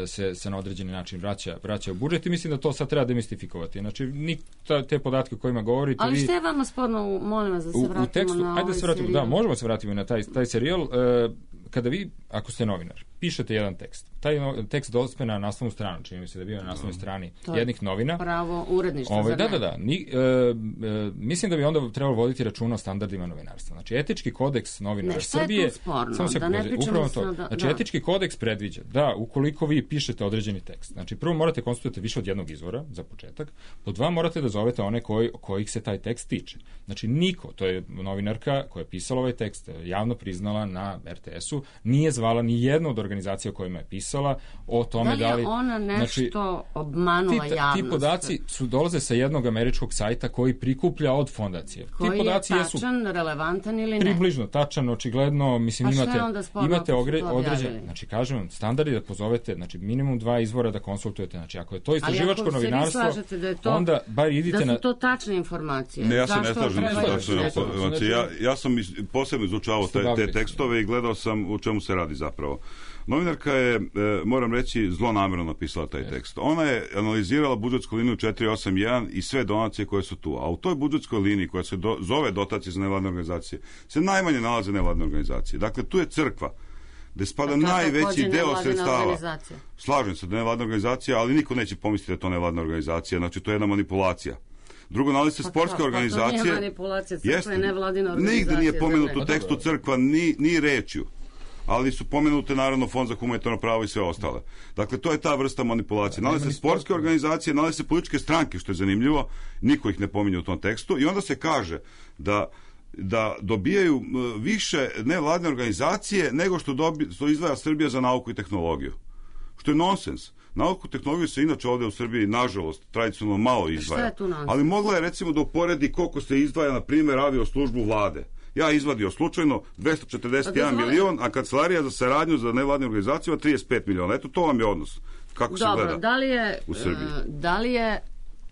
se, se na određeni način vraća, vraća u budžet i mislim da to sad treba demistifikovati. Znači, ni ta, te podatke o kojima govorite... Ali vi, što je vama sporno, molim vas da se vratimo u, u tekstu, na ajde ovaj da se vratimo, serijal? Da, možemo se vratiti na taj, taj serijal. E, kada vi, ako ste novinar, pišete jedan tekst, taj no, tekst dospe na naslovnu stranu, čini mi se da je bio na naslovnoj strani to jednih novina. Pravo uredništva, ovaj, za da, da, da. Ni, e, e, mislim da bi onda trebalo voditi računa o standardima novinarstva. Znači, etički kodeks novinara ne, Srbije... Ne, šta je tu sporno? Samo se da ne pričamo to. Da, znači, da. etički kodeks predviđa da, ukoliko vi pišete određeni tekst, znači, prvo morate konsultovati više od jednog izvora, za početak, pod dva morate da zovete one koji, kojih se taj tekst tiče. Znači, niko, to je novinarka koja je pisala ovaj tekst, javno priznala na er te esu, nije zvala ni jednu od organizacija o kojima je pisala o tome da li... Da li je ona nešto znači, obmanula ti, javnost? Ti podaci su dolaze sa jednog američkog sajta koji prikuplja od fondacije. Koji ti podaci je jesu tačan, relevantan ili ne? Približno tačan, očigledno, mislim, pa imate, imate ogre, određene, određen, znači, kažem vam, standardi da pozovete, znači, minimum dva izvora da konsultujete, znači, ako je to istraživačko novinarstvo, da je to, onda bar idite da na... su to tačne informacije. Ne, ja se ne Zašto slažem sa tačnom informacije. Ja, ja sam posebno izučavao te, te tekstove i gledao sam u čemu se radi zapravo. Novinarka je, moram reći, zlonamjerno napisala taj tekst. Ona je analizirala budžetsku liniju četiri osam jedan i sve donacije koje su tu. A u toj budžetskoj liniji koja se do, zove dotacije za nevladne organizacije se najmanje nalaze nevladne organizacije. Dakle, tu je crkva gde spada najveći deo sredstava. Slažem se da je nevladna organizacija, ali niko neće pomisliti da je to nevladna organizacija. Znači, to je jedna manipulacija. Drugo, nalazi se pa sportske kao, organizacije. Pa to nije manipulacija, crkva je nevladina organizacija. Nigde nije pomenuto u tekstu crkva ni, ni rečju. Ali su pomenute naravno Fond za humanitarno pravo i sve ostale. Dakle, to je ta vrsta manipulacije. Nalaze se sportske organizacije, nalaze se političke stranke, što je zanimljivo, niko ih ne pominje u tom tekstu, i onda se kaže da da dobijaju više nevladne organizacije nego što, dobi, što izdvaja Srbija za nauku i tehnologiju. Što je nonsens. Nauku i tehnologiju se inače ovdje u Srbiji, nažalost, tradicionalno malo izdvaja. Ali mogla je recimo da uporedi koliko se izdvaja, na primjer, avio službu vlade. Ja izvadio slučajno dvesta četrdeset jedan milion, a kancelarija za saradnju za nevladne organizacije ima trideset pet miliona. Eto, to vam je odnos. Kako se gleda da li je, u Srbiji. Da li je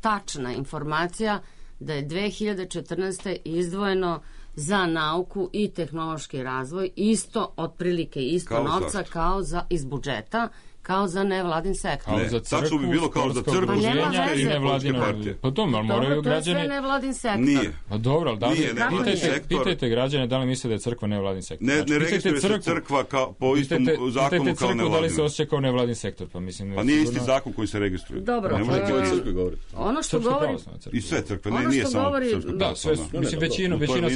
tačna informacija da je dve hiljade četrnaeste. izdvojeno za nauku i tehnološki razvoj isto, otprilike isto kao novca zašto? Kao za iz budžeta, kao za nevladin sektor. Ne, tačno bi bilo kao za crkvu, pa i nevladine partije. Pa to, ali moraju građani... To je sve nevladin sektor. Nije. Pa dobro, ali da li... Nije nevladin sektor. Pitajte građane da li misle da je crkva nevladin sektor. Ne, ne registruje se crkva kao, po istom zakonu kao nevladina. Da li se osjeća kao nevladin sektor, pa mislim... Pa nije isti zakon koji se registruje. Dobro. Ne možete o crkvi govoriti. Ono što govori... I sve crkve, ne, nije samo srpska pravoslavna. Da, sve, mislim, većina, većina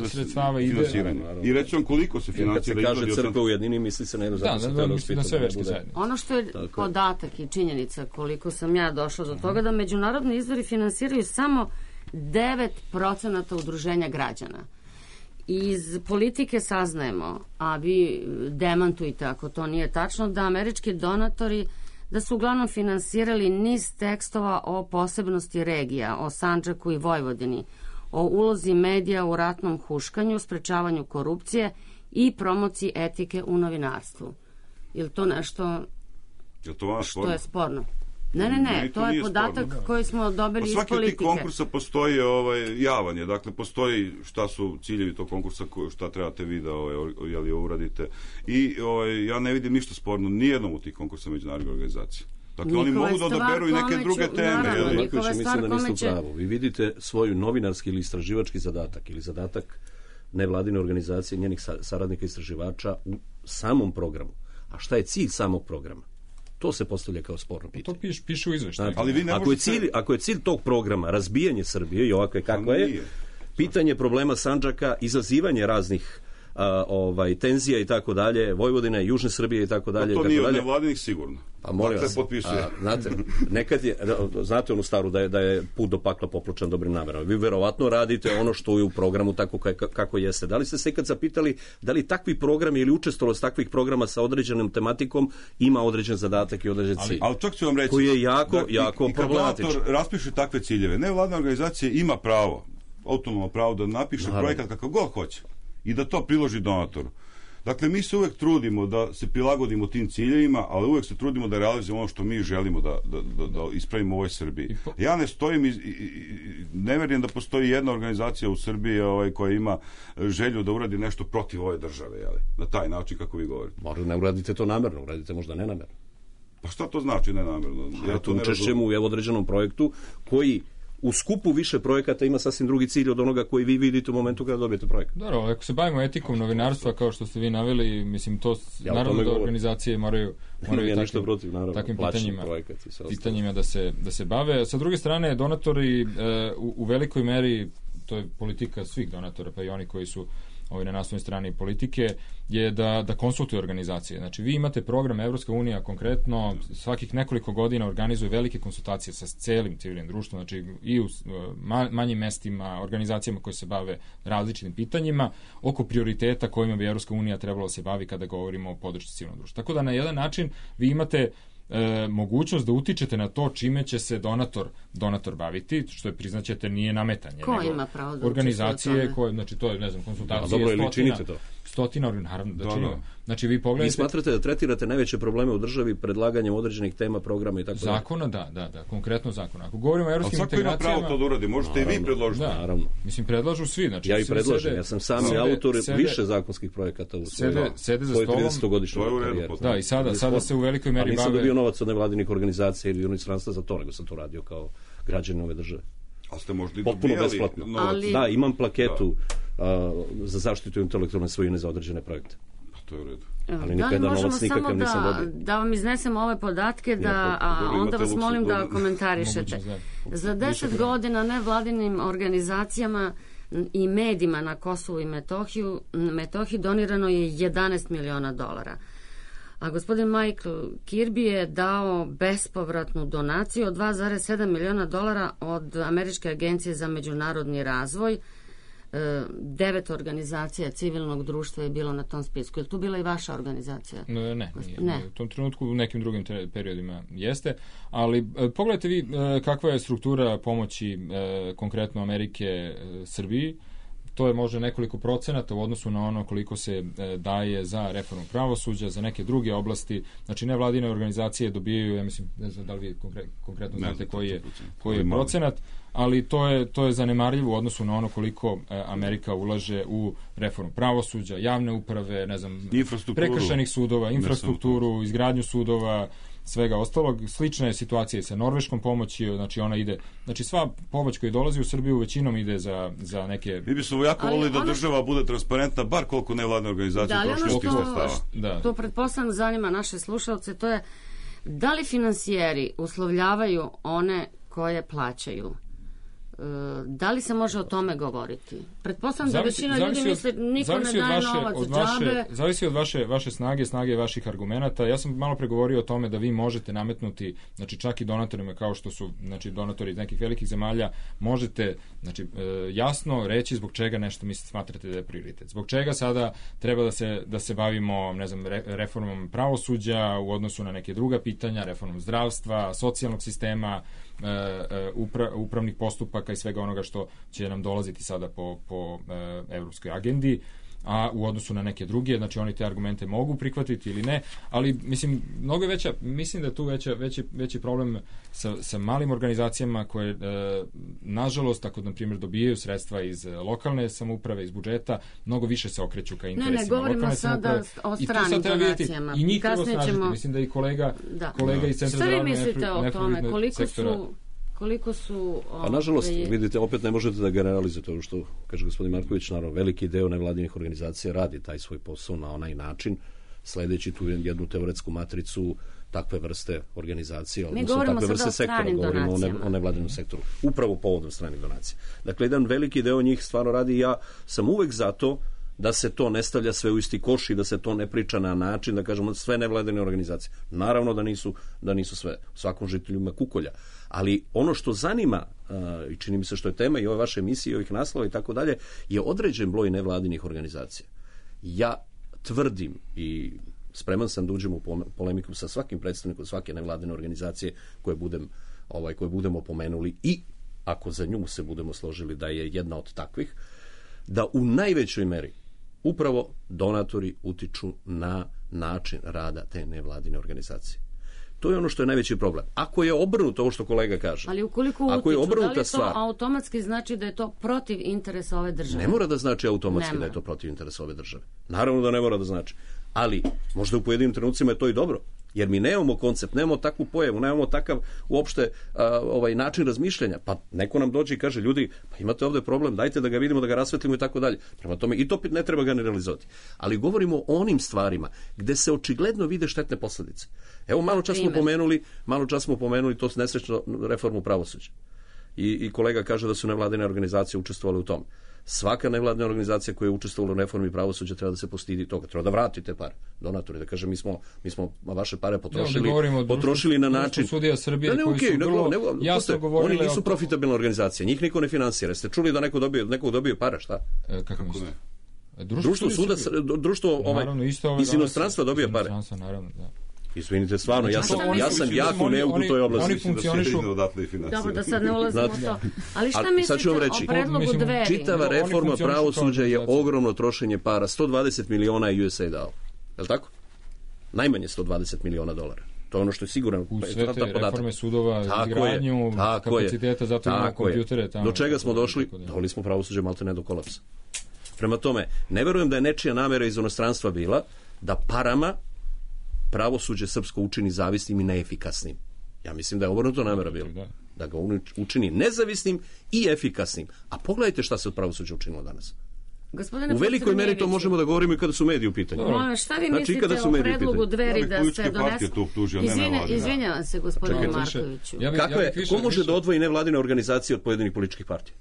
sredstava ide... I reći vam koliko se financira... Kad se kaže crkva u jednini, misli se na jednu zajednicu. Ono što je podatak i činjenica, koliko sam ja došla do toga, da međunarodni izvori finansiraju samo devet procenata udruženja građana. Iz politike saznajemo, a vi demantujte ako to nije tačno, da američki donatori da su uglavnom finansirali niz tekstova o posebnosti regija, o Sandžaku i Vojvodini, o ulozi medija u ratnom huškanju, sprečavanju korupcije i promociji etike u novinarstvu. Je li to nešto... Je to što sporno? Je sporno? Ne, ne, ne, ne to, to je podatak sporno. Koji smo dobili pa iz politike. Svaki od tih konkursa postoji ovaj, javanje, dakle postoji šta su ciljevi tog konkursa, šta trebate vi da ovaj, jeli, uradite. I ovaj, ja ne vidim ništa sporno nijednom u tih konkursa međunarodnih organizacija. Dakle, oni mogu da odaberu i neke druge teme. Marković, mislim da niste u pravu. Vi vidite svoj novinarski ili istraživački zadatak ili zadatak nevladine organizacije, njenih saradnika istraživača u samom programu. A šta je cilj samog programa? To se postavlja kao sporno pitanje. To piše, piše u izveštaju. Ali vi ne ako, možete... je cilj, ako je cilj tog programa razbijanje Srbije i ovakve kakva je, pitanje problema Sandžaka, izazivanje raznih a, ovaj, tenzija i tako dalje, Vojvodine, Južne Srbije i tako dalje. No, to nije od nevladinih sigurno. Pa molim vas, a, znate, nekad je, znate onu staru da je, da je put do pakla popločan dobrim namerama. Vi verovatno radite ono što je u programu tako kako jeste. Da li ste se ikad zapitali da li takvi programi ili učestvovalost takvih programa sa određenom tematikom ima određen zadatak i određen cilj? Ali čak ću vam reći, koji je jako, da, jako i, problematičan. I kad raspiše takve ciljeve, nevladna organizacija ima pravo, autonomno pravo da napiše Naravno. projekat kakav god hoće i da to priloži donatoru. Dakle, mi se uvek trudimo da se prilagodimo tim ciljevima, ali uvek se trudimo da realizujemo ono što mi želimo da, da, da, da ispravimo u ovoj Srbiji. Ja ne stojim i, i, i ne verujem da postoji jedna organizacija u Srbiji ovaj, koja ima želju da uradi nešto protiv ove države, jeli? Na taj način kako vi govorite. Možda ne uradite to namerno, uradite možda nenamerno. Pa šta to znači nenamerno? Ja to učešćem u određenom projektu koji u skupu više projekata ima sasvim drugi cilj od onoga koji vi vidite u momentu kada dobijete projekat. Dobro, ako se bavimo etikom novinarstva, kao što ste vi naveli, mislim, to ja naravno da organizacije moraju, moraju ja takvim, protiv, naravno, takvim pitanjima, projekat pitanjima da se, da se bave. Sa druge strane, donatori e, u, u velikoj meri, to je politika svih donatora, pa i oni koji su ovaj, na naslovnoj strani politike, je da, da konsultuju organizacije. Znači, vi imate program Evropska unija konkretno, svakih nekoliko godina organizuje velike konsultacije sa celim civilnim društvom, znači i u manjim mestima, organizacijama koje se bave različitim pitanjima, oko prioriteta kojima bi Evropska unija trebalo se bavi kada govorimo o podršci civilnog društva. Tako da na jedan način vi imate E, mogućnost da utičete na to čime će se donator donator baviti, što je priznaćete nije nametanje. Ko ima pravo da organizacije koje, znači to je, ne znam, konsultacije. Da, dobro, ili činite to? Stotina, naravno da, da činimo. Znači vi pogledajte... Vi smatrate da tretirate najveće probleme u državi predlaganjem određenih tema, programa i tako dalje? Zakona, da, da, da, konkretno zakona. Ako govorimo o evropskim integracijama... Ali svako ima pravo to da uradi, možete naravno, i vi predložiti. Da, naravno. Mislim, predlažu svi. Znači, ja i predlažem, ja sam sami sede, autor sede, više zakonskih projekata u svojoj tridesetogodišnjoj karijeri. Da, i sada, sada se u velikoj meri bave... A nisam dobio novac od nevladinih organizacija ili inostranstva za to, nego sam to radio kao građanin ove države. Ali ste možda i potpuno besplatno. Ali... Da, imam plaketu da. Uh, za zaštitu intelektualne svojine za određene projekte. Pa to je u redu. Ali da li možemo samo da, da vam iznesemo ove podatke, da, a onda vas molim da komentarišete. Za deset godina nevladinim organizacijama i medijima na Kosovu i Metohiju, Metohiji donirano je jedanaest miliona dolara. A gospodin Michael Kirby je dao bespovratnu donaciju od dva zarez sedam miliona dolara od Američke agencije za međunarodni razvoj. Devet organizacija civilnog društva je bilo na tom spisku. Je li tu bila i vaša organizacija? Ne, ne, ne. U tom trenutku u nekim drugim periodima jeste, ali pogledajte vi kakva je struktura pomoći konkretno Amerike Srbiji. To je možda nekoliko procenata u odnosu na ono koliko se e, daje za reformu pravosuđa, za neke druge oblasti. Znači, nevladine organizacije dobijaju, ja mislim, ne znam da li vi konkre, konkretno znate koji je, koji je procenat, ali to je, to je zanemarljivo u odnosu na ono koliko e, Amerika ulaže u reformu pravosuđa, javne uprave, ne znam, prekršajnih sudova, infrastrukturu, izgradnju sudova, svega ostalog. Slična je situacija sa norveškom pomoći, znači ona ide, znači sva pomoć koja dolazi u Srbiju većinom ide za, za neke... Mi bismo jako volili da država bude transparentna, bar koliko nevladne organizacije troši tih sredstava. Da. To pretpostavljam zanima naše slušalce, to je da li finansijeri uslovljavaju one koje plaćaju? Da li se može o tome govoriti? Pretpostavljam da većina ljudi misli niko ne daje novac od vaše, džabe. Zavisi od vaše, vaše snage, snage vaših argumenata. Ja sam malo pregovorio o tome da vi možete nametnuti, znači čak i donatorima kao što su znači donatori iz nekih velikih zemalja, možete znači, e, jasno reći zbog čega nešto mislite smatrate da je prioritet. Zbog čega sada treba da se, da se bavimo ne znam, re, reformom pravosuđa u odnosu na neke druga pitanja, reformom zdravstva, socijalnog sistema, Upra, upravnih postupaka i svega onoga što će nam dolaziti sada po, po e, evropskoj agendi. a u odnosu na neke druge, znači oni te argumente mogu prihvatiti ili ne, ali mislim, mnogo je veća, mislim da je tu veća, veći, veći problem sa, sa malim organizacijama koje, e, nažalost, ako, na primjer, dobijaju sredstva iz lokalne samouprave, iz budžeta, mnogo više se okreću ka interesima ne, ne, govorimo lokalne sada o stranim donacijama. I njih treba Kasnije snažiti. ćemo... Mislim da i kolega, da. kolega iz Centra Šta za vi razvoj mislite o tome? Koliko sektora, su... Koliko su... A nažalost, vidite, opet ne možete da generalizujete ovo što kaže gospodin Marković, naravno, veliki deo nevladinih organizacija radi taj svoj posao na onaj način, sledeći tu jednu teoretsku matricu takve vrste organizacije, odnosno takve vrste sektora, govorimo o, ne, o nevladinom sektoru, upravo povodom stranih donacija. Dakle, jedan veliki deo njih stvarno radi i ja sam uvek za to da se to ne stavlja sve u isti koš i da se to ne priča na način, da kažemo, sve nevladine organizacije. Naravno da nisu, da nisu sve, svakom žitelju ima kukolja. Ali ono što zanima, uh, i čini mi se što je tema i ove vaše emisije, i ovih naslova i tako dalje, je određen broj nevladinih organizacija. Ja tvrdim i spreman sam da uđem u polemiku sa svakim predstavnikom svake nevladine organizacije koje budem, ovaj, koje budemo pomenuli i ako za nju se budemo složili da je jedna od takvih, da u najvećoj meri upravo donatori utiču na način rada te nevladine organizacije. To je ono što je najveći problem. Ako je obrnuto ovo što kolega kaže, ali ukoliko ako je utiču, da li to stvar, automatski znači da je to protiv interesa ove države? Ne mora da znači automatski Nema. da je to protiv interesa ove države. Naravno da ne mora da znači. Ali možda u pojedinim trenucima je to i dobro. Jer mi nemamo koncept, nemamo takvu pojavu, nemamo takav uopšte a, ovaj način razmišljanja. Pa neko nam dođe i kaže, ljudi, pa imate ovde problem, dajte da ga vidimo, da ga rasvetlimo i tako dalje. Prema tome, i to ne treba generalizovati. Ali govorimo o onim stvarima gde se očigledno vide štetne posledice. Evo, malo čas smo pomenuli, malo čas smo pomenuli to nesrećno reformu pravosuđa. I, I kolega kaže da su nevladine organizacije učestvovale u tom. Svaka nevladina organizacija koja je učestvovala u reformi pravosuđa treba da se postidi toga, treba da vrati te pare, donatori, da kaže mi smo, mi smo vaše pare potrošili, ja, potrošili na način... Sudija Srbije da, ne, koji okay, su vrlo nego, nego, jasno govorili... Oni nisu profitabilna organizacija, njih niko ne finansira. Ste čuli da neko dobije, neko dobije pare, šta? E, kako mislite? Društvo, društvo suda, društvo ovaj, naravno, isto iz inostranstva dobije pare. Naravno, da. Izvinite, stvarno, ja sam, ja sam jako neuk u toj oblasti. Oni funkcionišu... Dobro, da sad ne ulazimo u to. Ali šta mislite o predlogu Dveri? Čitava reforma pravosuđa je ogromno trošenje para. sto dvadeset miliona je U S A I dao. Je li tako? Najmanje sto dvadeset miliona dolara. To je ono što je sigurno. U sve te reforme sudova, izgradnju, kapaciteta, zato imamo kompjutere. Do čega smo došli? Doveli smo pravosuđe malte ne do kolapsa. Prema tome, ne verujem da je nečija namera iz inostranstva bila da parama pravosuđe srpsko učini zavisnim i neefikasnim. Ja mislim da je obrnuto namera bilo. Da ga učini nezavisnim i efikasnim. A pogledajte šta se od pravosuđa učinilo danas. Gospodine u velikoj meri to možemo da govorimo i kada su mediji u pitanju. Molim, šta vi znači, mislite o predlogu Dveri da se donese? Izvinja, izvinjavam se, gospodine Markoviću. Ja bi, Kako je, ja više, ko može više... da odvoji nevladine organizacije od pojedinih političkih partija?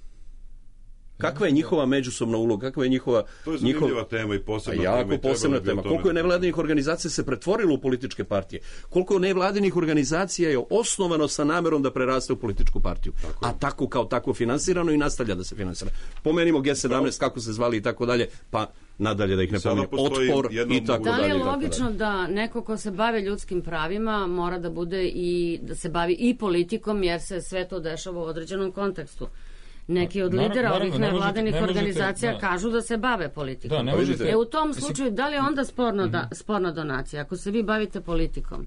Kakva je njihova međusobna uloga, kakva je njihova... To je zanimljiva njihova... tema i posebna jako tema. Jako posebna tema. Koliko je nevladinih organizacija se pretvorilo u političke partije? Koliko nevladinih organizacija je osnovano sa namerom da preraste u političku partiju? Tako a tako kao tako finansirano i nastavlja da se finansira. Pomenimo G sedamnaest, kako se zvali i tako dalje, pa nadalje da ih ne pominjem. Otpor i tako dalje. Da li je logično da neko ko se bavi ljudskim pravima mora da bude i da se bavi i politikom, jer se sve to dešava u određenom kontekstu? Neki od lidera naravno, ovih nevladinih organizacija da. kažu da se bave politikom. Da, ne možete, e, u tom slučaju, da li je onda sporno da, sporna donacija, ako se vi bavite politikom?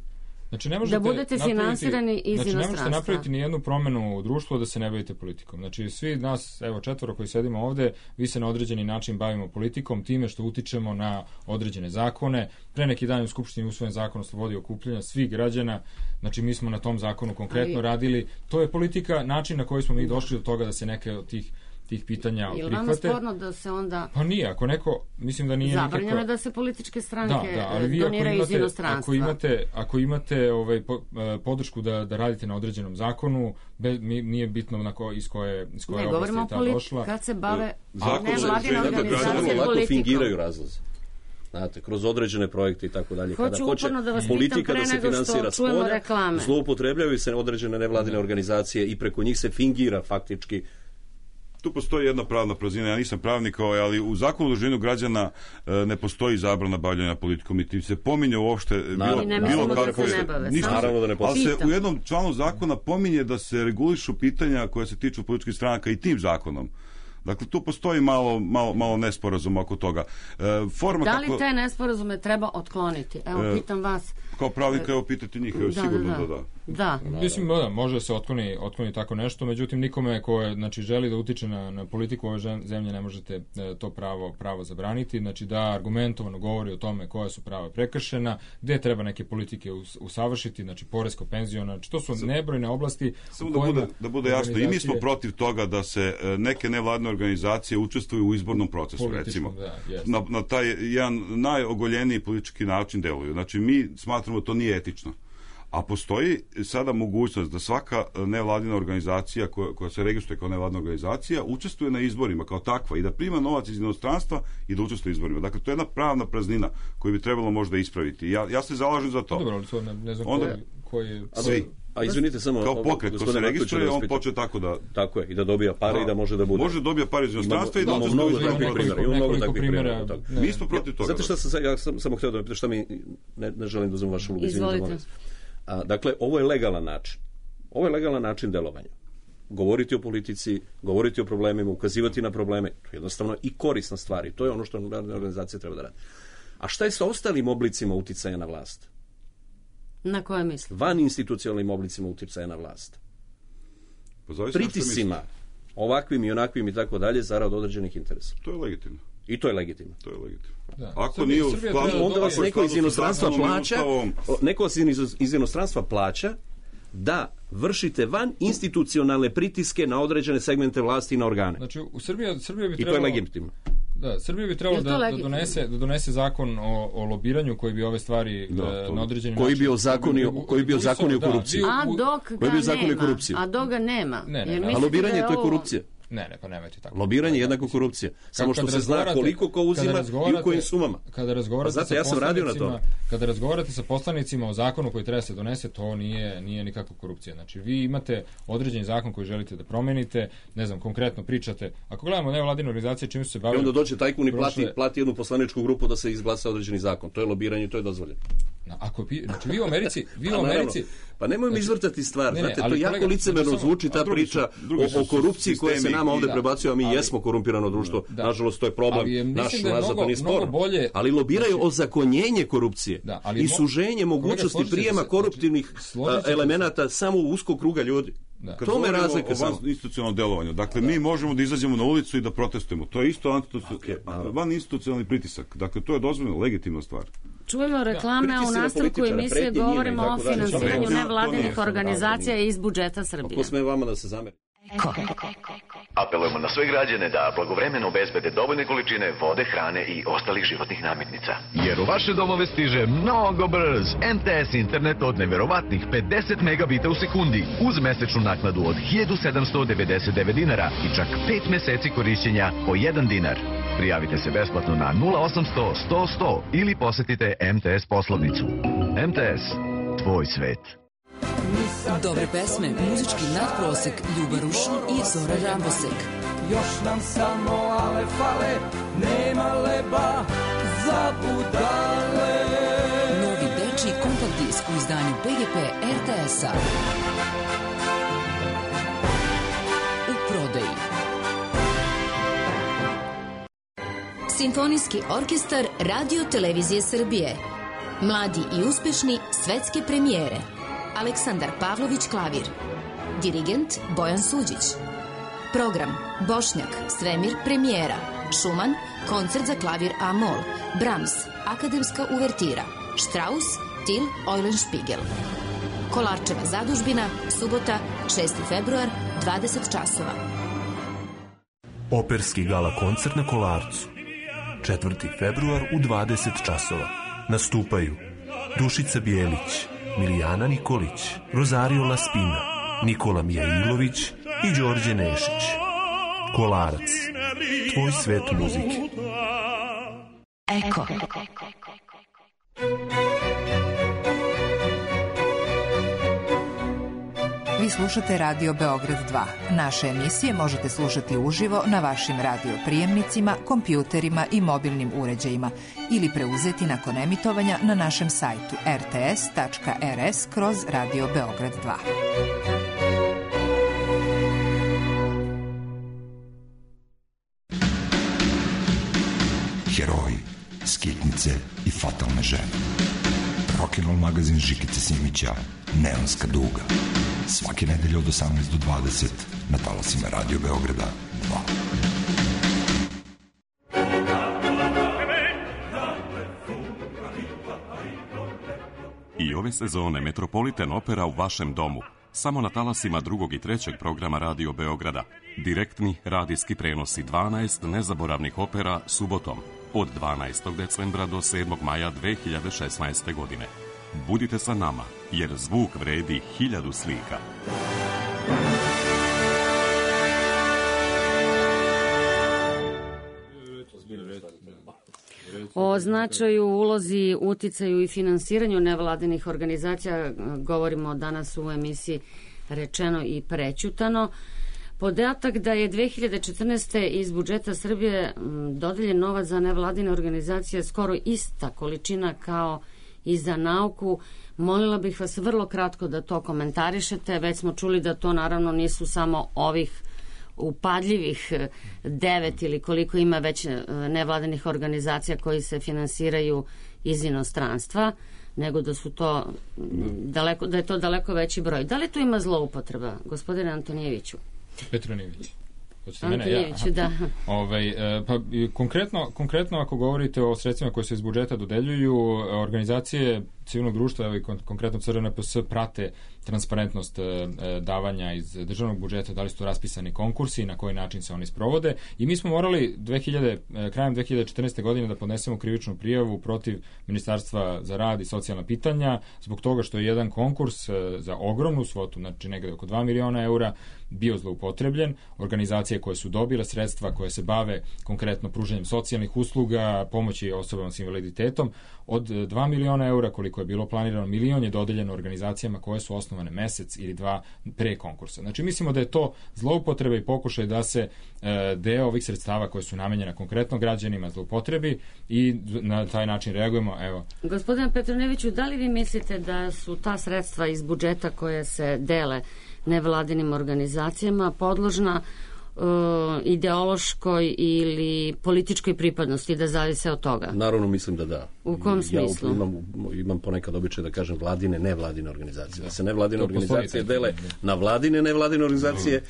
Znači, ne možete da budete finansirani iz znači, inostranstva. Ne možete napraviti ni jednu promenu u društvu da se ne bavite politikom. Znači, svi nas, evo četvoro koji sedimo ovde, vi se na određeni način bavimo politikom, time što utičemo na određene zakone. Pre neki dan u Skupštini usvojen zakon o slobodi okupljanja svih građana. Znači, mi smo na tom zakonu konkretno Ali... radili. To je politika, način na koji smo mi došli do toga da se neke od tih tih pitanja prihvate. Ili vama sporno da se onda... Pa nije, ako neko, mislim da nije nikako... Zabranjeno da se političke stranke da, da, ali vi doniraju imate, iz inostranstva. Ako imate, ako imate ovaj, po, podršku da, da radite na određenom zakonu, be, nije bitno na ko, iz koje, iz koje ne, oblasti je ta politi- došla. Kad se bave nevladine organizacije politikom. Fingiraju razlozi. Znate, kroz određene projekte i tako dalje. Hoću Kada hoće da politika da se finansira spolja, zloupotrebljavaju se određene nevladine da. organizacije i preko njih se fingira faktički. Tu postoji jedna pravna praznina, ja nisam pravnik, ali u zakonu o udruženju građana e, ne postoji zabrana bavljanja politikom, niti se pominje uopšte bilo, bilo da kako se je. Ništa, Naravno da ne ali se u jednom članu zakona pominje da se regulišu pitanja koja se tiču političkih stranaka i tim zakonom. Dakle, tu postoji malo, malo, malo nesporazum oko toga. E, forma da li kako... te nesporazume treba otkloniti? Evo, e, pitam vas. Kao pravnika, evo, pitati njih, evo, da, sigurno da. da da. Da. Mislim, da, može se otkloni, otkloni tako nešto, međutim, nikome ko je, znači, želi da utiče na, na politiku ove zemlje ne možete e, to pravo, pravo zabraniti, znači da argumentovano govori o tome koja su prava prekršena, gde treba neke politike us, usavršiti, znači poresko, penziona, znači to su nebrojne oblasti. Samo da bude, da bude jasno, i mi smo protiv toga da se e, neke nevladne organizacije učestvuju u izbornom procesu, recimo. Da, na, na taj jedan najogoljeniji politički način deluju. Znači, mi smatramo da to nije etično. A postoji sada mogućnost da svaka nevladina organizacija koja, koja se registruje kao nevladina organizacija učestvuje na izborima kao takva i da prima novac iz inostranstva i da učestvuje u izborima. Dakle, to je jedna pravna praznina koju bi trebalo možda ispraviti. Ja, ja se zalažem za to. Dobro, ali to ne, ne znam Onda, koji je... Svi. A izvinite samo... Kao pokret ko se registruje, on počne tako da... Tako je, i da dobija pare da, i da može da bude. Može da dobija pare iz inostranstva i da učestvuje u izborima. Imamo mnogo takvih primjera. Mi smo protiv toga. Znate šta sam, ja sam samo htio da pitam, šta mi, ne, ne želim da uzmem vašu ulogu. Izvolite. A, dakle, ovo je legalan način. Ovo je legalan način delovanja. Govoriti o politici, govoriti o problemima, ukazivati na probleme, to je jednostavno i korisna stvar i to je ono što organizacija treba da radi. A šta je sa ostalim oblicima uticaja na vlast? Na koje misli? Van institucionalnim oblicima uticaja na vlast. Pritisima, ovakvim i onakvim i tako dalje, zarad određenih interesa. To je legitimno. I to je legitimno. To je legitimno. Da. Ako Srbija, nije u Srbija skladu, onda vas neko iz inostranstva plaća, ustavom... neko vas iz, iz inostranstva plaća da vršite van institucionalne pritiske na određene segmente vlasti i na organe. Znači, u Srbiji, Srbija bi trebalo... I to je legitimno. Da, Srbija bi trebalo da, da, donese, da donese zakon o, o lobiranju koji bi ove stvari da, to, na određeni koji način... Bi ozakonio, koji, koji bi ozakonio korupciju. A dok ga nema. A dok ga nema. Ne, ne, ne. A lobiranje je to je korupcija. Ne, ne, pa nemojte tako. Lobiranje je jednako korupcija. Samo što se zna koliko ko uzima i u kojim sumama. Kada razgovarate znate, sa ja sam radio na to. Kada razgovarate sa poslanicima o zakonu koji treba se donese, to nije nije nikakva korupcija. Znači, vi imate određeni zakon koji želite da promenite, ne znam, konkretno pričate. Ako gledamo nevladine organizacije čime su se bavili... I onda dođe tajkun i plati, plati jednu poslaničku grupu da se izglasa određeni zakon. To je lobiranje, to je dozvoljeno. No, ako znači vi u Americi, vi u Americi, pa nemojmo znači, izvrtati stvar. Ne, ne, znate, to jako kolega, licemerno znači, zvuči ta drugi priča su, drugi o, o korupciji koja se nama ovde da, prebacuje, a mi ali, jesmo korumpirano društvo. Da, nažalost, to je problem je, naš nazad, to nije spor. Bolje, ali lobiraju znači, ozakonjenje korupcije da, ali i suženje mogućnosti prijema koruptivnih znači, elemenata samo u uskog kruga ljudi. Da. Kad to me razlika o van institucionalnom delovanju. Dakle, da. mi možemo da izađemo na ulicu i da protestujemo. To je isto okay, van institucionalni pritisak. Dakle, to je dozvoljeno, legitimna stvar. Čujemo reklame, a u nastavku emisije govorimo o finansiranju nevladinih organizacija iz budžeta Srbije. Ako sme vama da se zameri. Eko. Apelujemo na sve građane da blagovremeno obezbede dovoljne količine vode, hrane i ostalih životnih namirnica. Jer u vaše domove stiže mnogo brz em te es internet od neverovatnih pedeset megabita u sekundi uz mesečnu naknadu od hiljadu sedamsto devedeset devet dinara i čak pet meseci korišćenja po jedan dinar. Prijavite se besplatno na nula osamsto sto sto ili posetite em te es poslovnicu. em te es, tvoj svet. Dobre pesme, muzički nadprosek, Ljuba Rušin i Zora Rambosek. Još nam samo ale fale, nema leba za budale. Novi dečiji kompakt disk u izdanju be ge pe er te es-a. U prodaji. Simfonijski orkestar Radio Televizije Srbije. Mladi i uspešni svetske premijere. Aleksandar Pavlović klavir. Dirigent Bojan Suđić. Program Bošnjak, Svemir premijera. Šuman, koncert za klavir A-mol. Brahms, akademska uvertira. Strauss, Till Eulenspiegel. Kolarčeva zadužbina, subota, šesti februar, dvadeset časova. Operski gala koncert na Kolarcu. četvrti februar u dvadeset časova. Nastupaju Dušica Bijelić, Milijana Nikolić, Rosario Laspina, Nikola Mijailović i Đorđe Nešić. Kolarac, tvoj svet muzike. Eko. Vi slušate Radio Beograd dva. Naše emisije možete slušati uživo na vašim radio prijemnicima, kompjuterima i mobilnim uređajima ili preuzeti nakon emitovanja na našem sajtu er te es tačka er es kroz Radio Beograd dva. ubice i fatalne žene. Rock'n'Roll magazin Žikice Simića, Neonska duga. Svake nedelje od osamnaest do dvadeset na talasima Radio Beograda dva. I ove sezone Metropolitan Opera u vašem domu. Samo na talasima drugog i trećeg programa Radio Beograda. Direktni radijski prenosi dvanaest nezaboravnih opera subotom od dvanaestog decembra do sedmog maja dve hiljade šesnaeste. godine. Budite sa nama, jer zvuk vredi hiljadu slika. O značaju, ulozi, uticaju i finansiranju nevladinih organizacija govorimo danas u emisiji Rečeno i prećutano. Podatak da je dve hiljade četrnaeste. iz budžeta Srbije dodeljen novac za nevladine organizacije skoro ista količina kao i za nauku. Molila bih vas vrlo kratko da to komentarišete. Već smo čuli da to naravno nisu samo ovih upadljivih devet ili koliko ima već nevladinih organizacija koji se finansiraju iz inostranstva, nego da su to daleko, da je to daleko veći broj. Da li to ima zloupotreba, gospodine Antonijeviću? Petronijević. Antonijeviću, ja. da. Ovaj, pa, konkretno, konkretno ako govorite o sredstvima koje se iz budžeta dodeljuju, organizacije civilnog društva, evo i konkretno C R N P S, prate transparentnost e, davanja iz državnog budžeta, da li su to raspisani konkursi, na koji način se oni sprovode. I mi smo morali dve hiljade, krajem dve hiljade četrnaeste. godine da podnesemo krivičnu prijavu protiv Ministarstva za rad i socijalna pitanja, zbog toga što je jedan konkurs e, za ogromnu svotu, znači negde oko dva miliona eura, bio zloupotrebljen. Organizacije koje su dobile sredstva, koje se bave konkretno pružanjem socijalnih usluga, pomoći osobama s invaliditetom, od dva miliona eura, koliko je bilo planirano, milion je dodeljeno organizacijama koje su osnovane mesec ili dva pre konkursa. Znači, mislimo da je to zloupotreba i pokušaj da se e, deo ovih sredstava koje su namenjena konkretno građanima zloupotrebi i na taj način reagujemo. Evo. Gospodine Petroneviću, da li vi mislite da su ta sredstva iz budžeta koje se dele nevladinim organizacijama podložna uh, ideološkoj ili političkoj pripadnosti, da zavise od toga? Naravno, mislim da da. U kom smislu? Ja imam, imam ponekad običaj da kažem vladine, nevladine organizacije. Da se nevladine organizacije dele na vladine, nevladine organizacije,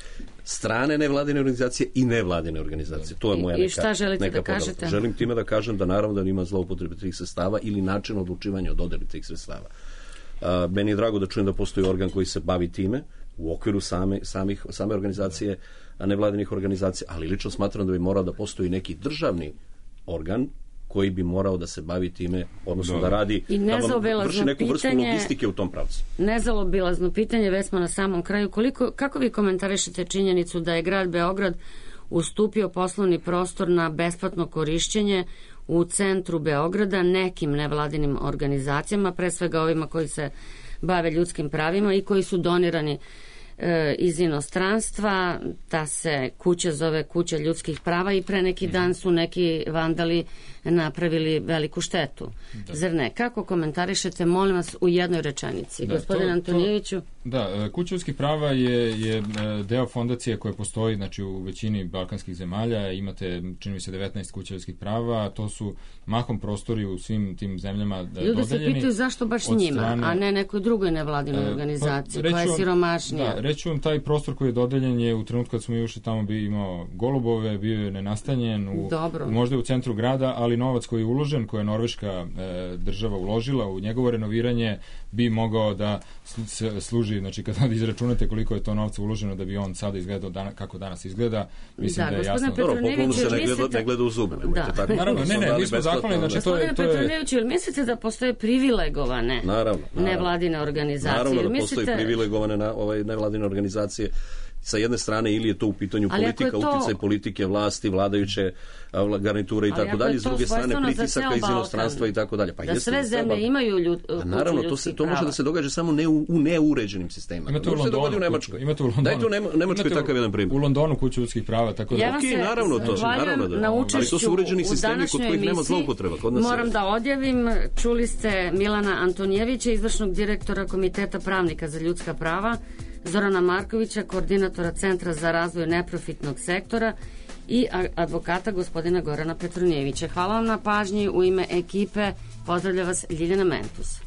strane nevladine organizacije i nevladine organizacije. To je moja neka, I šta želite neka da kažete? Želim time da kažem da naravno da ima zloupotrebe tih sredstava ili način odlučivanja o dodeli tih sredstava. Uh, meni je drago da čujem da postoji organ koji se bavi time u okviru same, samih, same organizacije, nevladinih organizacija, ali lično smatram da bi morao da postoji neki državni organ koji bi morao da se bavi time, odnosno da, da radi, I da vam vrši neku vrstu pitanje, logistike u tom pravcu. Nezaobilazno pitanje, već smo na samom kraju. Koliko, kako vi komentarišete činjenicu da je grad Beograd ustupio poslovni prostor na besplatno korišćenje u centru Beograda nekim nevladinim organizacijama, pre svega ovima koji se bave ljudskim pravima i koji su donirani e, iz inostranstva, da se kuća zove Kuća ljudskih prava i pre neki dan su neki vandali napravili veliku štetu. Da. Zar ne? Kako komentarišete, molim vas, u jednoj rečenici? Da, Gospodin to, Antonijeviću? To, da, Kuća ljudskih prava je, je deo fondacije koja postoji, znači, u većini balkanskih zemalja. Imate, čini mi se, devetnaest kuća ljudskih prava. To su mahom prostori u svim tim zemljama dodeljeni. Ljudi se pitaju zašto baš njima, strane, a ne nekoj drugoj nevladinoj organizaciji, pa, koja je siromašnija. Da, reći vam, taj prostor koji je dodeljen je u trenutku kad smo i ušli tamo bi imao golubove, bio je nenastanjen, u, možda u centru grada, ali novac koji je uložen, koji je Norveška e, država uložila u njegovo renoviranje, bi mogao da služi, znači kada izračunate koliko je to novca uloženo da bi on sada izgledao dana, kako danas izgleda, mislim da, da je jasno. Dobro, poklonu se ne gleda, ne gleda u zube, nemojte tako. Naravno, ne, ne, mi smo zahvalni, znači to je... Gospodine Petroneviću, ili mislite da postoje privilegovane naravno, naravno. nevladine organizacije? Naravno da mislite... postoje privilegovane na, ovaj, nevladine organizacije. Sa jedne strane ili je to u pitanju politika, to... uticaj politike, vlasti, vladajuće garniture i tako dalje, s druge strane pritisaka iz inostranstva i tako dalje. Pa da sve zemlje imaju ljud, a naravno, to, se, to može da se događa samo ne u, u neuređenim sistemima. Imate u Londonu, u Nemačkoj. Imate u Londonu. Dajte u Nemačkoj takav jedan primjer. U Londonu kuću ljudskih prava, tako da... Ja vam se okay, naravno to, naravno da. Na učešću, ali to su uređeni sistemi kod kojih nema zloupotreba. Kod nas moram je. da odjavim, čuli ste Milana Antonijevića, izvršnog direktora Komiteta pravnika za ljudska prava, Zorana Markovića, koordinatora Centra za razvoj neprofitnog sektora i advokata gospodina Gorana Petronijevića. Hvala vam na pažnji. U ime ekipe pozdravlja vas Ljiljana Mentus.